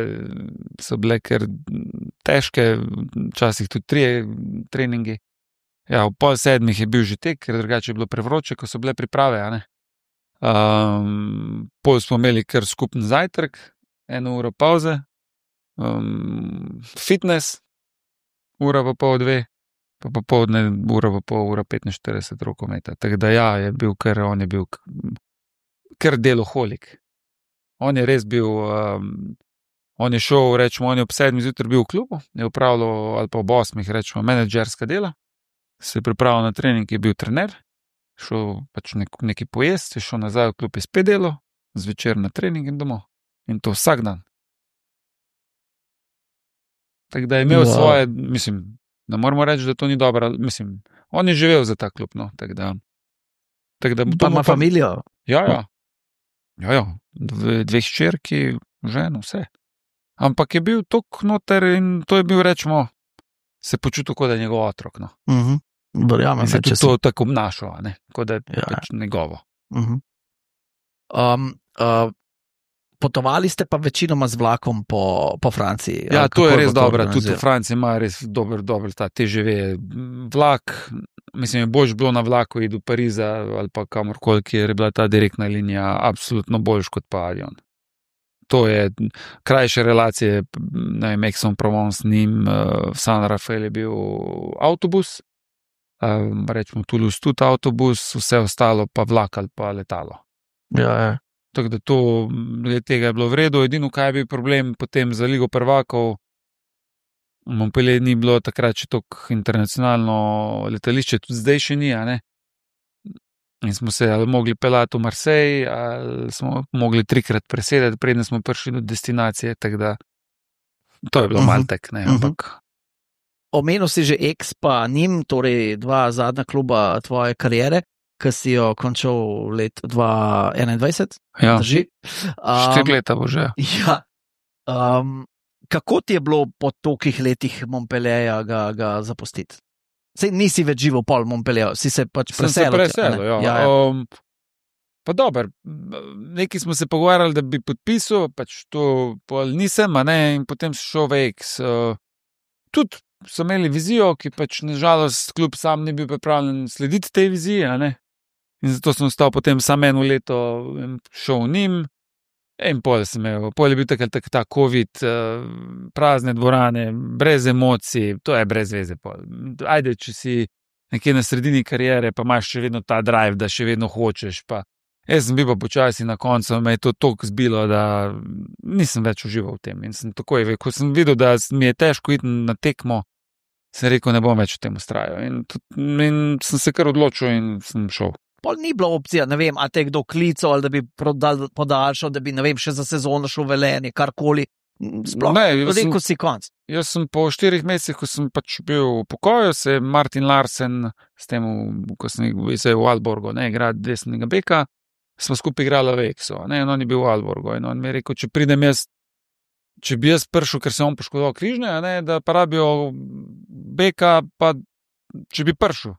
so bile kar težke, včasih tudi 3 treningi. Ja, v 6:30 je bil že tek, ker drugače je bilo prevroče, ko so bile priprave, pol smo imeli kar skupen zajtrk, 1 uro pauze, fitness, 1:30, 2 pa popoldne 1:30, 1:45 rokometa. Tako da ja, on je bil kar deloholik. On je res bil, on je šel, rečemo, on je ob 7 zjutraj bil v klubu, je upravljal, ali pa ob 8, rečemo, menedžerska dela, se je pripravil na trening, je bil trener, šel pač nekaj pojesti, je šel nazaj v klub in spet delo, zvečer na trening in domov. In to vsak dan. Tako da je imel svoje, mislim, ne moramo reči, da to ni dobro, mislim, on je živel za ta klub, tako da pa ima familijo. Ja. 2 hčerki, ženo, vse. Ampak je bil tok noter in to je bil, rečemo, se počutil, kot da je njegov otrok, Verjamem, se je to tako obnašal, kot da je pač njegovo. Potovali ste pa večinoma z vlakom po Franciji. Ja, to je res dobro, tudi v Franciji ima res dober ta TGV vlak, mislim, je boljš bilo na vlaku iti do Pariza ali pa kamorkoli, kjer je bila ta direktna linija absolutno boljš kot pa avion. To je krajše relacije, Aix-en-Provence, Nîmes, San Rafael je bil avtobus, rečemo Toulouse tudi avtobus, vse ostalo pa vlak ali pa letalo. Ja. Tako da tega je bilo v redu, edino kaj je bil problem potem za Ligo prvakov, Montpellier ni bilo takrat še toliko internacionalno letališče, tudi zdaj še ni, in smo se ali mogli pelati v Marseille, ali smo mogli 3-krat presedati, preden smo prišli do destinacije, tako da to je bilo malo tek, ampak... Omenil si že Aix pa Nîmes, torej 2 zadnja kluba tvoje kariere, ki si jo končal let 2021. Ja, drži. 4 leta bo že. Ja. kako ti je bilo po tolikih letih Montpellierja ga zapustiti? Sej nisi več živel pol Montpellier, si se pač preselil. Ja. Pa dober, nekaj smo se pogovarjali, da bi podpisal, pač to pol nisem, in potem šel v X. Tudi so imeli vizijo, ki pač nažalost kljub sam ne bil pripravljen slediti tej viziji, in zato sem ostal potem samo 1 leto šel v njim, in pol je bil ta COVID, prazne dvorane, brez emocij, to je brez veze pol. Ajde, če si nekje na sredini kariere, pa imaš še vedno ta drive, da še vedno hočeš, pa jaz sem bil pa počasi na koncu, me je to toliko zbilo, da nisem več užival v tem. In sem takoj, ko sem videl, da mi je težko iti na tekmo, sem rekel, ne bom več v tem ustrajal. In sem se kar odločil in sem šel. Pol ni bila opcija, ne vem, a te kdo klical, ali da bi podaljšal, da bi, ne vem, še za sezono šel v Velenje, karkoli. Sploh, rekel si konc. Jaz sem po 4 mesecih, ko sem pač bil v pokoju, se Martin Larsen, s tem, ko sem v Aalborgu, igrati desnega beka, smo skupaj igrali v Exu, in on je bil v Aalborgu, in on mi je rekel, če pridem jaz, če bi jaz prišel, ker se on poškodoval križne, da pa rabijo beka, pa če bi prišel.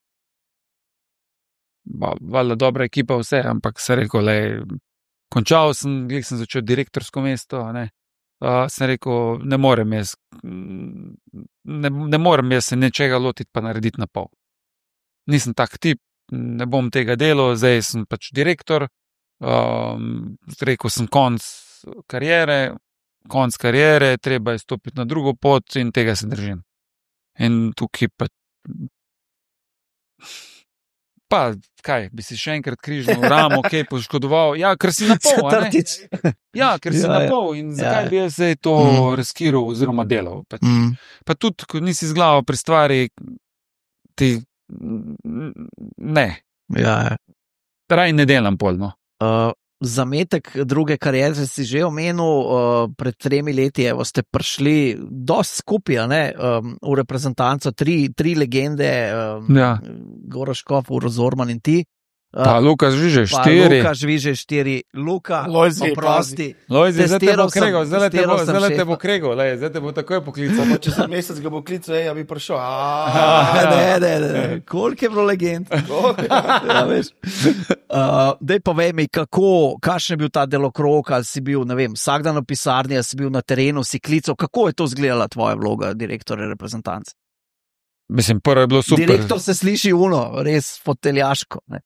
Valjda dobra ekipa vse, ampak se rekel, končal sem, glih sem začel direktorsko mesto, sem rekel, ne morem jaz se nečega lotiti pa narediti na pol. Nisem tak tip, ne bom tega delal, zdaj sem pač direktor, rekel sem konc kariere, treba je stopiti na drugo pot in tega se držim. In tukaj pa kaj, bi si še enkrat križno ramo, kaj poškodoval, ker si na pol, ker si na pol in zakaj bi jaz zdaj to riskiral oziroma delal. Pa tudi, ko nisi z glavo pri stvari, ti ne. Raj ne delam polno. Zametek druge kariere si že omenil, pred 3 leti ste prišli dosti skupaj, v reprezentanco, tri legende, Goran Škof, Uroš Zorman in ti. Pa Luka Žvižej 4. Luka Žvižej 4, Luka, Lojzi, oprosti. Lojzi, zdaj te bo kregal, zdaj te bo takoj poklical. Če za mesec ga bo klical, ja bi prišel. Ne. Koliko je bilo legend? Daj povej mi, kakšen je bil ta delokrog, ali si bil, ne vem, vsak dan v pisarni, ali si bil na terenu, si klical, kako je to izgledala tvoja vloga direktorja reprezentance? Mislim, prvo je bilo super. Direktor se sliši res foteljaško, ne?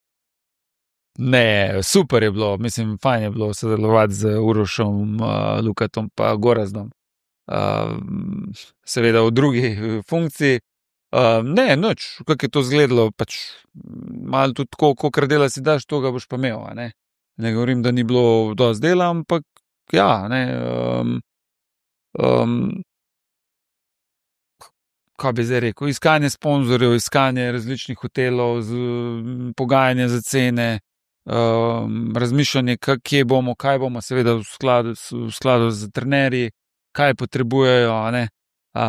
Ne, super je bilo, mislim, fajn je bilo sodelovati z Urošom, Lukatom pa Gorazdom. Seveda v drugi funkciji. Ne, nič, kako je to izgledalo, pač malo tudi tako, kolikor dela si daš, to ga boš pa imel, ne govorim, da ni bilo dosti dela, ampak kaj bi zdaj rekel, iskanje sponzorjev, iskanje različnih hotelov, pogajanje za cene, razmišljanje, kje bomo, kaj bomo, seveda v skladu z trenerji, kaj potrebujejo,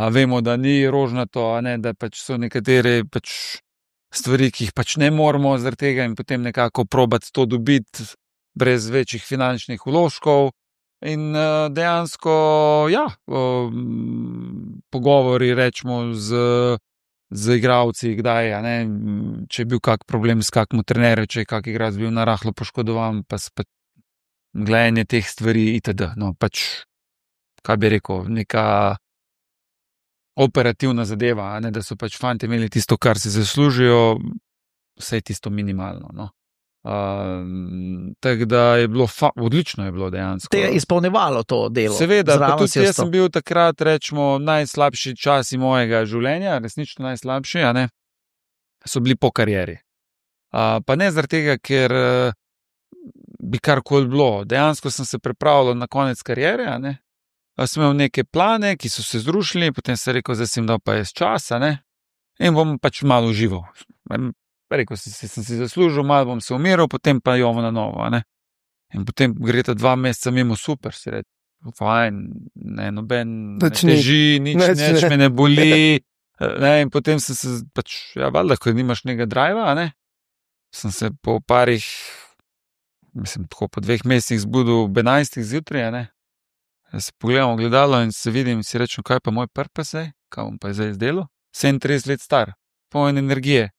vemo, da ni rožnato, da pač so nekatere pač stvari, ki jih pač ne moramo zaradi tega in potem nekako probati to dobiti brez večjih finančnih vložkov. In dejansko, pogovori, rečemo, z igralci, kdaj, če je bil kak problem s kakmu trenerju, če je kak igralec bil narahlo poškodovan, pa gledanje teh stvari itd. Pač, kaj bi rekel, neka operativna zadeva, da so pač fanti imeli tisto, kar si zaslužijo, vse tisto minimalno, tako da je bilo odlično je bilo dejansko. Te je izpolnevalo to delo. Seveda, pa tudi jaz sem bil takrat, rečemo, najslabši časi mojega življenja, resnično najslabši, so bili po karieri. Pa ne zaradi tega, ker bi karkoli bilo. Dejansko sem se pripravljal na konec kariere, sem imel neke plane, ki so se zrušili, potem sem rekel, zdaj sem dal pa jaz časa, in bom pač malo užival. Rekel sem si zaslužil, malo bom se umiral, potem pa jovo na novo, In potem gre ta 2 meseca mimo, super, si reči, fajn, noben ne teži, nič me ne boli, in potem sem se pač, valjda, ko nimaš nekega driva, sem se po parih, mislim, tako po 2 mesecih zbudil ob 11 zjutraj, se pogledam v gledalo in se vidim in si rečem, kaj pa moj purpose je, kaj bom pa zdaj izdelal. 37 let star, poln energije.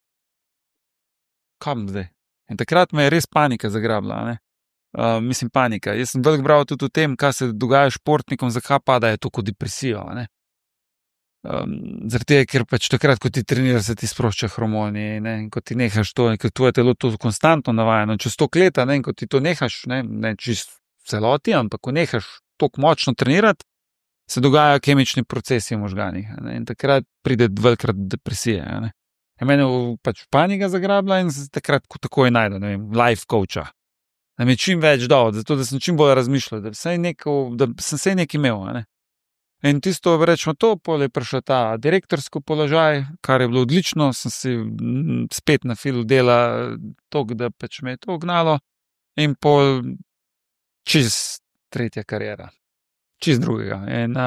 Kam zdaj? In takrat me je res panika zagrabila, ne? Mislim, panika. Jaz sem veliko bral tudi o tem, kaj se dogaja športnikom, zakaj padajo to kot depresijo, ne? Zaradi tega, ker pač takrat, ko ti treniraš, se ti sprošča hormoni, ne? In ko ti nehaš to, ker tvoje telo to konstantno navajeno, čez 100 let, ne? In ko ti to nehaš, ne čist celoti, ampak ko nehaš tako močno trenirati, se dogajajo kemični procesi v možganih, ne? In takrat pride velikrat depresije, ne? In mene pač panika zagrabila in takrat takoj najdem, ne vem, life coacha. Da mi je čim več dal, zato da sem čim bolj razmišljal, da sem se nekaj imel, ne? In tisto, rečemo to, pol je prišel ta direktorski položaj, kar je bilo odlično, sem si spet na filu dela toliko, da pač me je to gnalo in pol čist tretja karijera, čist drugega. In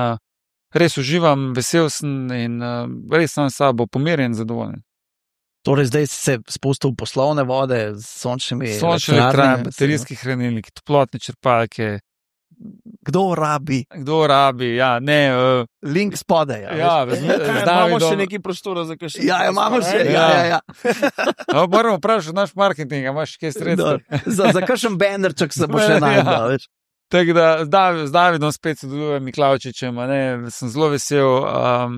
res uživam, vesel sem in res sem s sabo pomirjen, zadovoljen. Torej zdaj si se spustil v poslovne vode z sončnimi elektrarnami, baterijski hranilniki, toplotne črpalke. Kdo rabi? Ja, ne. Link spodaj. Ja, imamo še neki prostora za kaj še. Ja, imamo še. Ja. Moramo vprašati naš marketing, imaš kaj sredstva. Za kakšen bannerček se bo še najdel, več. Tako da z Davidom spet sodelujem, Miklavčičem, sem zelo vesel,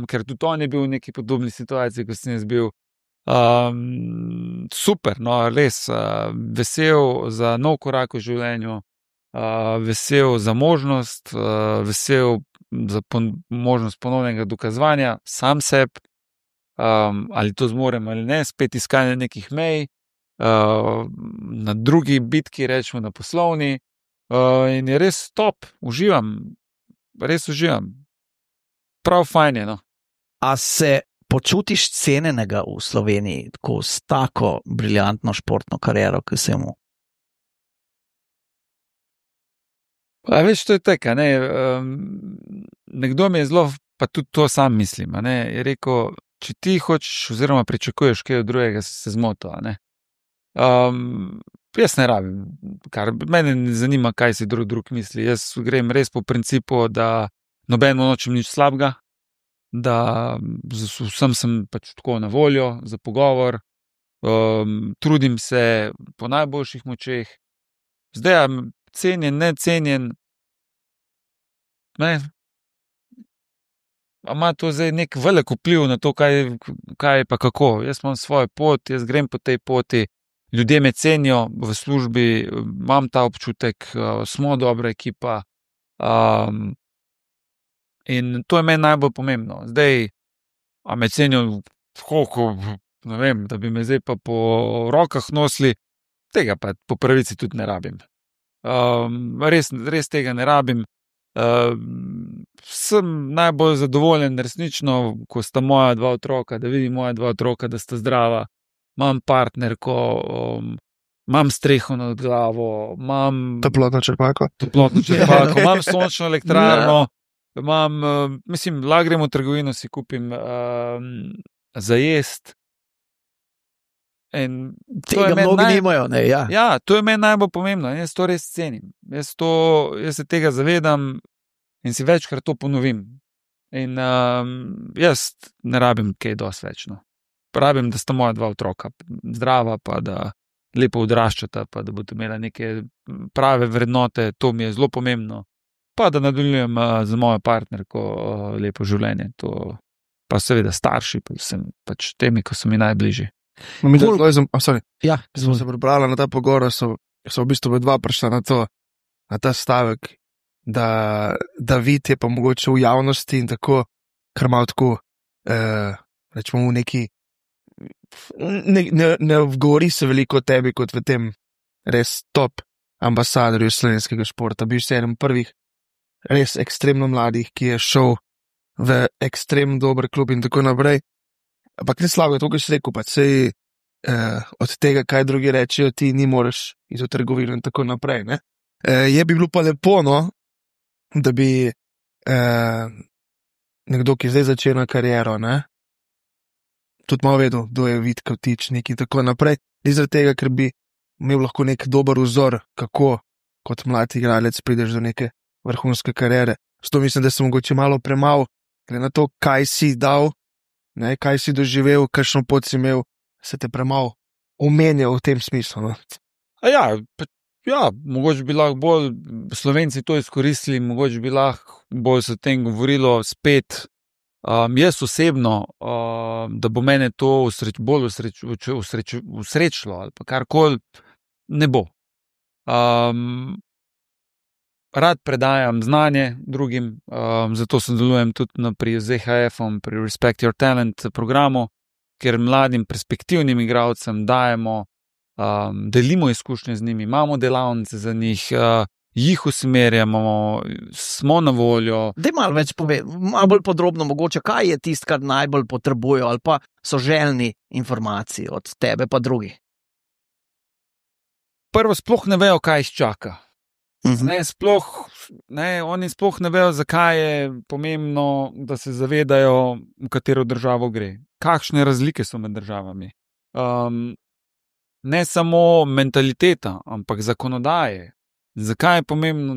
ker tudi on je bil v neki podobni situaciji, ko sem jaz bil. Super, no, res vesel za nov korak v življenju, vesel za možnost, vesel za možnost ponovnega dokazovanja sam sebi, ali to zmorem ali ne, spet iskanje nekih mej, na drugi bitki, rečemo na poslovni, in je res top, res uživam. Prav fajn je, no. A se počutiš cenenega v Sloveniji, tako s tako briljantno športno kariero, ki se mu? Veš, to je tako, ne. Nekdo mi je zelo, pa tudi to sam mislim, ne, je rekel, če ti hočeš oziroma pričakuješ kaj od drugega, se zmotil, ne. Jaz ne rabim, mene ne zanima, kaj si drug misli. Jaz grem res po principu, da nobenemu nočem nič slabega, da vsem sem pač tako na voljo za pogovor, trudim se po najboljših močeh. Zdaj, cenjen, necenjen, ne, ima to zdaj nek velik vpliv na to, kaj pa kako. Jaz imam svojo pot, jaz grem po tej poti, ljudje me cenijo v službi, imam ta občutek, smo dobra ekipa, in to je meni najbolj pomembno. Zdaj, a me cenijo koliko, ne vem, da bi me zdaj pa po rokah nosili, tega pa po pravici tudi ne rabim. Res tega ne rabim. Sem najbolj zadovoljen resnično, ko sta moja dva otroka, da vidim moja dva otroka, da sta zdrava, imam partnerko, imam streho nad glavo, imam toplotno črpalko, imam sončno elektrarno, imam, mislim, lahko grem v trgovino, si kupim za jest. Tega mnogi nimajo, ne, ja. Ja, to je meni najbolj pomembno, jaz to res cenim. Jaz se tega zavedam in si večkrat to ponovim. In jaz ne rabim kaj dosti več, no. Rabim, da sta moja dva otroka zdrava, pa da lepo odraščata, pa da bodo imela neke prave vrednote, to mi je zelo pomembno. Pa da nadaljujem za mojo partnerko lepo življenje, to pa seveda starši, pa sem pač temi, ko so mi najbližji. No, Ja, smo se prebrali na ta pogovor, so v bistvu dva prišla na ta stavek, da David je pa mogoče v javnosti in tako, kar malo tako, rečemo v neki, ne govori se veliko o tebi kot v tem res top ambasadorju slovenskega športa. Bil si eden prvih res ekstremno mladih, ki je šel v ekstremno dober klub in tako naprej. Ampak ne slabo je to, kar si rekel, pa sej od tega, kaj drugi rečejo, ti ni moreš iti v trgovino in tako naprej, ne. Je bi bilo pa lepo, no, da bi nekdo, ki zdaj začenja kariero, ne, tudi malo vedel, kdo je Vid Kavtičnik in tako naprej, ni zaradi tega, ker bi imel lahko nek dober vzor, kako kot mlad igralec prideš do neke vrhunske kariere. Zato mislim, da sem mogoče malo premal, glede na to, kaj si dal, ne, kaj si doživel, kakšno pot si imel, se te premal omenjal v tem smislu. No? Mogoče bi lahko bolj Slovenci to izkoristili, mogoče bi lahko bolj se o tem govorilo spet. Jaz osebno, da bo mene to bolj usrečilo ali pa karkoli, ne bo. Rad predajam znanje drugim, zato sodelujem tudi pri ZHF-om, pri Respect Your Talent programu, kjer mladim perspektivnim igralcem dajemo, delimo izkušnje z njimi, imamo delavnice za njih, jih usmerjamo, smo na voljo. Daj malo več pove, malo bolj podrobno mogoče, kaj je tisto, kar najbolj potrebujejo ali pa so željni informacij od tebe pa drugih? Prvo, sploh ne vejo, kaj jih čaka. Oni sploh ne vejo, zakaj je pomembno, da se zavedajo, v katero državo gre. Kakšne razlike so med državami. Ne samo mentaliteta, ampak zakonodaje. Zakaj je pomembno,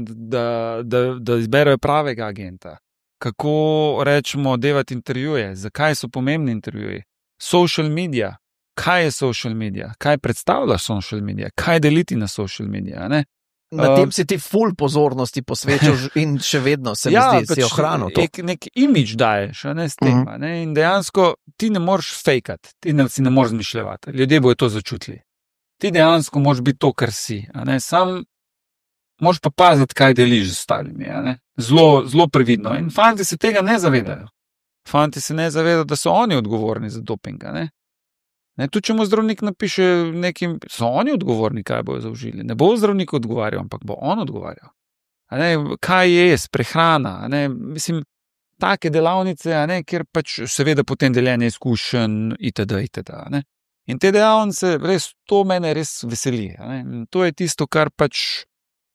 da izberejo pravega agenta? Kako rečemo, delati intervjuje? Zakaj so pomembni intervjuji? Social media. Kaj je social media? Kaj predstavlja social media? Kaj deliti na social media? Ne? Na tem si ti ful pozornosti posvečal in še vedno se mi zdi, da si ohranil to. Nek imidž daješ, ne, s tem. Ne? In dejansko ti ne moreš fejkati, ti si ne moreš zmišljati. Ljudje bojo to začutili. Ti dejansko moraš biti to, kar si. Sam moraš pa paziti, kaj deliš z ostalimi. Zelo, zelo previdno. In fanti se tega ne zavedajo. Fanti se ne zavedajo, da so oni odgovorni za doping. Tudi če mu zdravnik napiše nekim, so oni odgovorni, kaj bojo zaužili. Ne bo zdravnik odgovarjal, ampak bo on odgovarjal. Kaj je prehrana? Mislim, take delavnice, kjer pač seveda potem deljenje izkušenj itd. In te delavnice, res, to mene res veseli. To je tisto, kar pač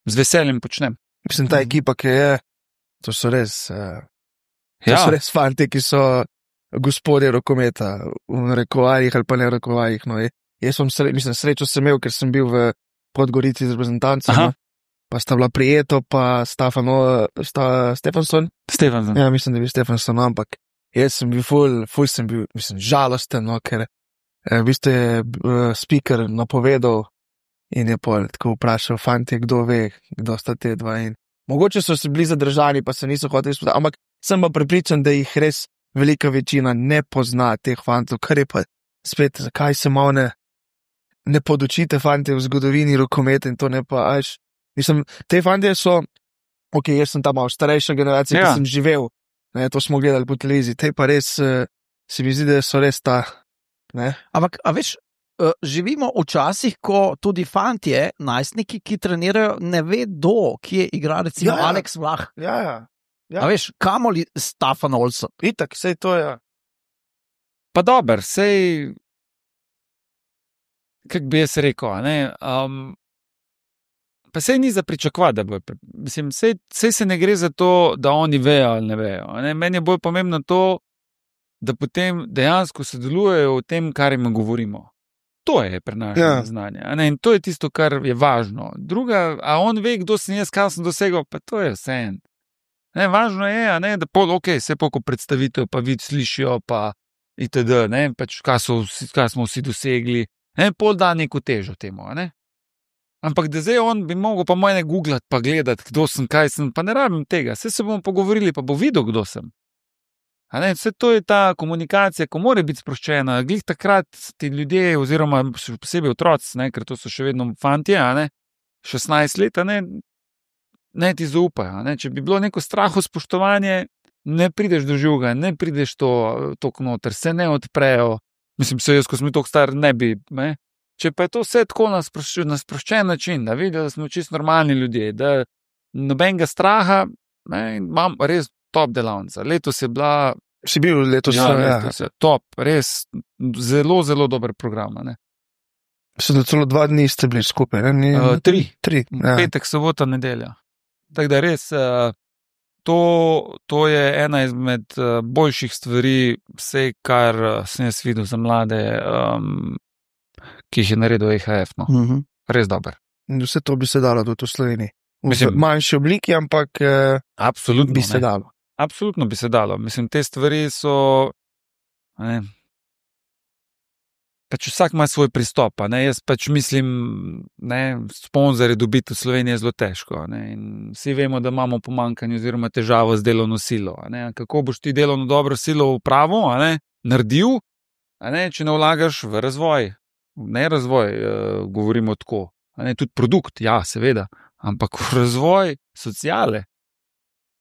z veseljem počnem. Mislim, ta ekipa, ki je, to so res fanti, ki so gospodje rokometa, v narekovajih ali pa ne v narekovajih. No. Jaz sem srečo sem imel, ker sem bil v Podgorici z reprezentancem, no. Pa sta bila Prijeto, pa Stefansson. Ja, mislim, da je bil Stefansson, ampak jaz sem bil ful sem bil, žalosten, no, ker v bistvu je speaker napovedal in je tako vprašal fantje, kdo ve, kdo sta te dva. In mogoče so se bili zadržani, pa se niso hoteli izpostaviti, ampak sem pa prepričan, da jih res velika večina ne pozna teh fantov, kar je pa spet, zakaj se malo ne podučite fante v zgodovini rokometa in to ne pa, mislim, te fante so, jaz sem ta malo starejša generacija, ki sem živel, to smo gledali po televiziji, te pa res, se mi zdi, da so res ta, ne. Ampak, a veš, živimo včasih, ko tudi fantje, najstniki, ki trenirajo, ne vedo, kje igra recimo Alex Vlah. Ja. A veš, kamoli Stefan Olsson? Itak, sej to je. Pa dober, sej, kak bi jaz rekel, pa sej ni za pričakovati, da bo, mislim, sej se ne gre za to, da oni vejo ali ne vejo. Meni je bolj pomembno to, da potem dejansko sodelujejo v tem, kar jim govorimo. To je prenašanje znanja. In to je tisto, kar je važno. Druga, a on ve, kdo sem jaz, kaj sem dosegel, pa to je vseeno. Važno je, da se poko predstavitev, pa vid slišijo, pa itd., pač kaj smo vsi dosegli, pol da neko težo temu, Ampak da zdaj on bi mogel pa mojne googlati, pa gledati, kdo sem, kaj sem, pa ne rabim tega, vse se bomo pogovorili, pa bo videl, kdo sem. Vse to je ta komunikacija, ko mora biti sproščena, glih takrat ti ljudje, oziroma še posebej otroci, ker to so še vedno fantje, 16 let, ne ti zaupajo. Če bi bilo neko straho spoštovanje, ne prideš do žuga, ne prideš to noter, se ne odprejo. Mislim, jaz, ko sem toliko star, ne bi. Če pa je to vse tako na sproščen način, da vidijo, da smo čisto normalni ljudje, da nobenega straha, imam res top delavnica. Letos je bila. Si bil letos? Letos je top, res zelo, zelo dober program. So da celo 2 dni ste bili skupaj, ne? 3. Petek, sobota, nedelja. Tako da res, to je ena izmed boljših stvari, vse, kar sem jaz videl za mlade, ki jih je naredil EHF. Res dober. In vse to bi se dalo tudi v Sloveniji. v manjši obliki, ampak absolutno bi se dalo. Absolutno bi se dalo. Mislim, te stvari so. Pač vsak ima svoj pristop. Jaz pač mislim, sponzorje dobiti v Sloveniji je zelo težko. In vsi vemo, da imamo pomanjkanje oziroma težavo z delovno silo. Kako boš ti delovno dobro silo v pravo naredil, če ne vlagaš v razvoj? Ne razvoj, govorimo tako. Tudi produkt, ja, seveda, ampak v razvoj sociale.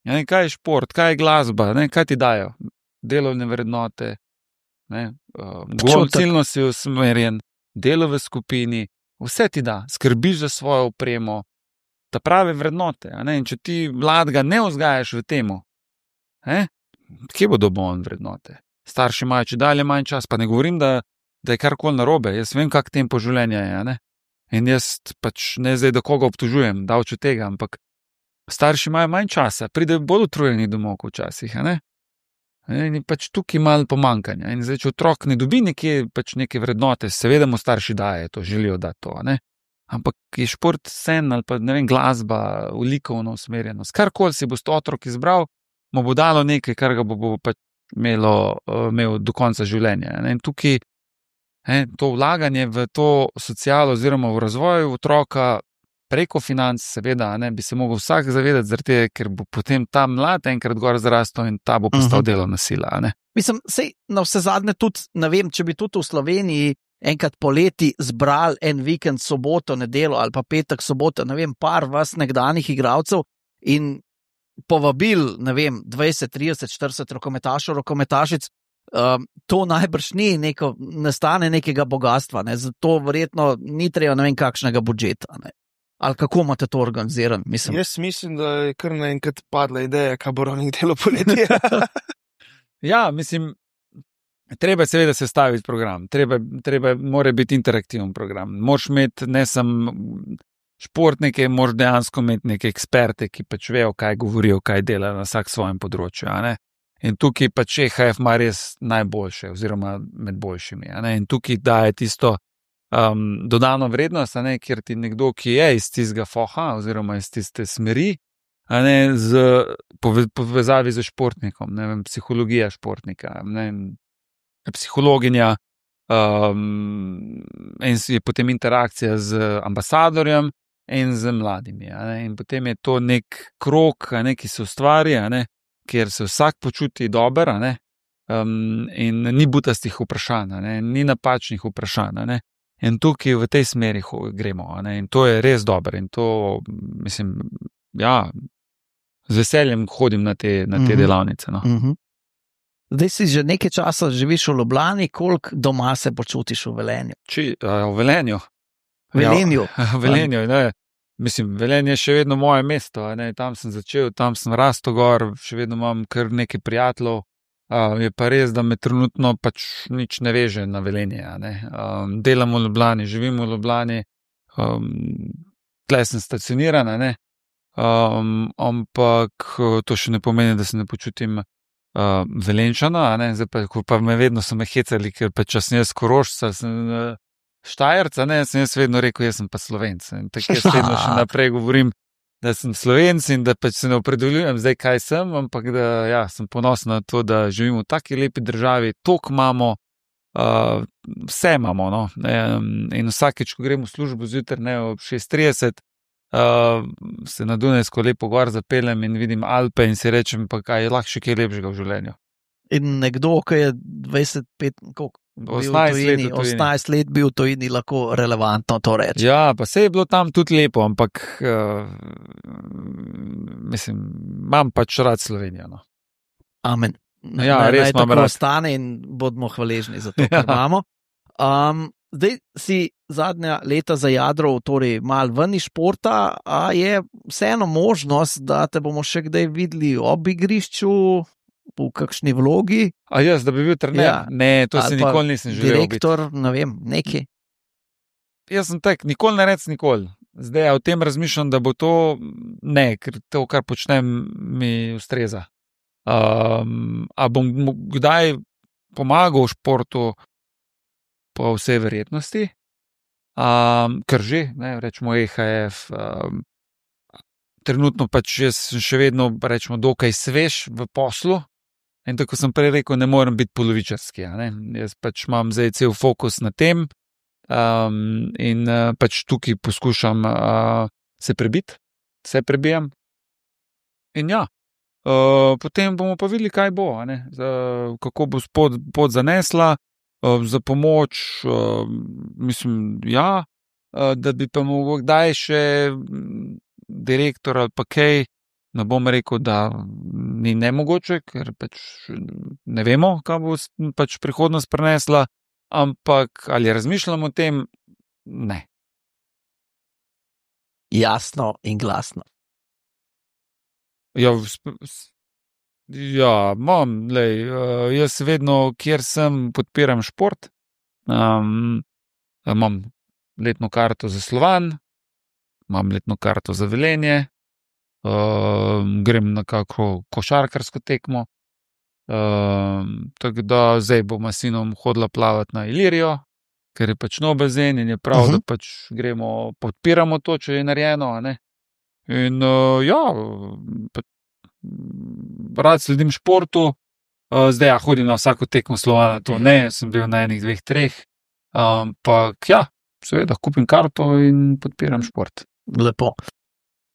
Kaj je šport, kaj je glasba, kaj ti dajo? Delovne vrednote. Ciljno si usmerjen, delo v skupini, vse ti da, skrbiš za svojo opremo, ta prave vrednote. In če ti mladega ne vzgajaš v temu, kje bo dobil on vrednote? Starši imajo če dalje manj čas, pa ne govorim, da je karkoli narobe, jaz vem, kak tempo življenja je. In jaz pač ne zdaj, da koga obtožujem, davč od tega, ampak starši imajo manj časa, pridejo bolj utrujeni domov včasih. In pač tukaj malo pomankanja. In zdaj, če otrok ne dobi neke vrednote, seveda mu starši daje to, želijo dati to. Ampak je šport sen ali pa glasba, likovna usmerjenost. Karkoli si bo otrok izbral, mu bo dalo nekaj, kar ga bo pač imel do konca življenja. In tukaj to vlaganje v to socialo oziroma v razvoj otroka preko financ, seveda, bi se mogel vsak zavedati, zaradi tega, ker bo potem ta mlad enkrat gor zrastel in ta bo postal delovna sila. Mislim, sej na vse zadnje tudi, ne vem, če bi tudi v Sloveniji enkrat poleti zbrali en vikend, soboto, nedelo ali pa petek, soboto, ne vem, par vas nekdanjih igralcev in povabil, ne vem, 20, 30, 40 rokometašov, rokometašic, to najbrž ne stane nekega bogatstva, zato verjetno ni treba ne vem kakšnega budžeta. Ali kako imate to organizirano? Jaz mislim, da je kar naenkrat padla ideja, kaj bo Roning delo poletje. Ja, mislim, treba seveda sestaviti program, mora biti interaktiven program. Moraš imeti ne samo športnike, moraš dejansko imeti neke eksperte, ki pač vejo, kaj govorijo, kaj delajo na vsak svojem področju. In tukaj pač EHF ima res najboljše, oziroma med boljšimi. In tukaj daje tisto dodano vrednost, kjer ti nekdo, ki je iz tistega foha, oziroma iz tiste smeri, z povezavi z športnikom, ne vem, psihologija športnika, psihologinja, in je potem interakcija z ambasadorjem in z mladimi. In potem je to nek krog, ki se ustvari, kjer se vsak počuti dober, in ni butastih vprašanj, ni napačnih vprašanj. In tukaj v tej smeri gremo. In to je res dobro. In to, mislim, ja, z veseljem hodim na te delavnice. Zdaj si že nekaj časa živiš v Ljubljani, koliko doma se počutiš v Velenju? V Velenju? V Velenju, ne. Mislim, Velenje je še vedno moje mesto, tam sem začel, tam sem rastel gor, še vedno imam kar nekaj prijateljev, je pa res, da me trenutno pač nič ne veže na Velenje, delam v Ljubljani, živim v Ljubljani, tle sem stacioniran, ampak to še ne pomeni, da se ne počutim Velenčana, zdaj pa me vedno so me hecali, ker pač sem jaz Korošca, sem Štajerca, sem jaz vedno rekel, jaz sem pa Slovenc. In tako jaz vedno še naprej govorim, da sem Slovenc in da pač se ne opredeljujem zdaj, kaj sem, ampak da ja, sem ponosen na to, da živimo v taki lepi državi, toliko imamo, vse imamo, no. In vsakeč, ko grem v službo zjutraj, ob 6:30, se na Dunajsko lepo gor zapeljem in vidim Alpe in si rečem, pa kaj je lahko še kaj lepšega v življenju. In nekdo, ki je 25, koliko? 18 let bil v tujini, lahko relevantno to reče. Ja, pa se je bilo tam tudi lepo, ampak mislim, imam pač rad Slovenijo. No. Amen. Ja, res imam rad. Naj tako ostane in bodimo hvaležni za to, kar imamo. Zdaj si zadnja leta zajadral, torej malo ven iz športa, a je vseeno možnost, da te bomo še kdaj videli ob igrišču, v kakšni vlogi. A jaz, da bi bil trener? Ja. Ne, to si nikoli nisem želel biti. Direktor, ne vem, neki. Jaz sem tak, nikoli ne rec nikoli. Zdaj, o tem razmišljam, da bo to, ne, ker to, kar počnem, mi ustreza. A bom kdaj pomagal v športu, po vsej verjetnosti, ker že, ne, rečemo EHF, trenutno pač jaz sem še vedno, rečemo, dokaj svež v poslu. In tako sem prej rekel, ne morem biti polovičarski. Jaz pač imam zdaj cel fokus na tem in pač tukaj poskušam se prebiti, se prebijam. In ja, potem bomo pa videli, kaj bo, kako bo pot zanesla, za pomoč, mislim, ja, da bi pa mogel kdaj še direktor ali pa kaj, ne bom rekel, da ni nemogoče, ker pač ne vemo, kaj bo pač prihodnost prinesla, ampak ali razmišljamo o tem? Ne. Jasno in glasno. Ja, jaz vedno, kjer sem, podpiram šport. Imam letno karto za Slovan, imam letno karto za Velenje, grem na kako košarkarsko tekmo. Tako da zdaj bom s sinom hodila plavati na Ilirijo, ker je pač nov bazen in je prav, da pač gremo, podpiramo to, če je narejeno. In ja, rad sledim športu, zdaj ja, hodim na vsako tekmo Slovana, to ne, sem bil na 1, 2, 3, ampak ja, seveda, kupim karto in podpiram šport. Lepo.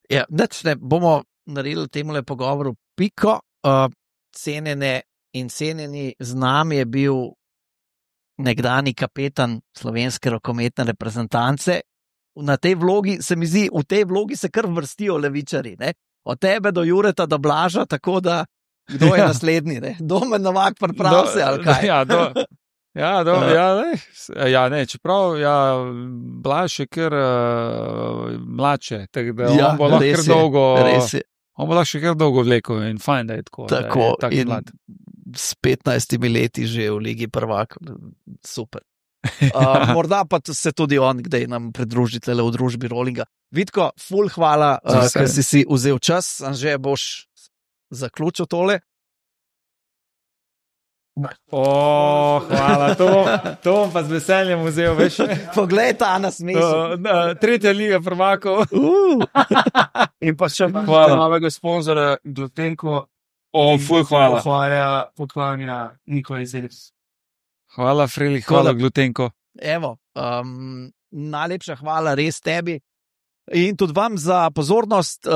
Ja, ne bomo naredili temule pogovoru piko. Cenjene in cenjeni, z nami je bil nekdani kapetan slovenske rokometne reprezentance. Na tej vlogi se mi zdi, v tej vlogi se kar vrstijo levičari, ne? Od tebe do Jureta do Blaža, tako da kdo je naslednji, ne? Domen Novak priprav se, ali kaj? Čeprav, Blaž je kar mladše, tako da on bo lahko kar dolgo, on bo lahko še kar dolgo vlekel in fajn, da je tako, da je tako mlad. S 15 leti že v Ligi prvakov, super. Morda pa se tudi on kdaj nam pridružite v družbi Rollinga. Vitko, ful hvala, ker si vzel čas, Anže, boš zaključil tole. Hvala, to bom pa z veseljem vzel, veš. Poglej ta nasmešek. 3. Liga prvakov. In pa še novega sponzora Glutenko. Ful hvala. Poklanja Nikola Izedec. Hvala, Freli, hvala, Glutenko. Evo, najlepša hvala res tebi in tudi vam za pozornost.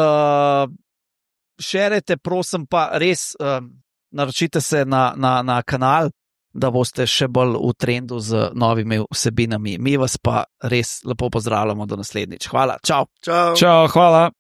Šerajte, prosim, pa res naročite se na kanal, da boste še bolj v trendu z novimi vsebinami. Mi vas pa res lepo pozdravljamo do naslednjič. Hvala, čau. Čau, hvala.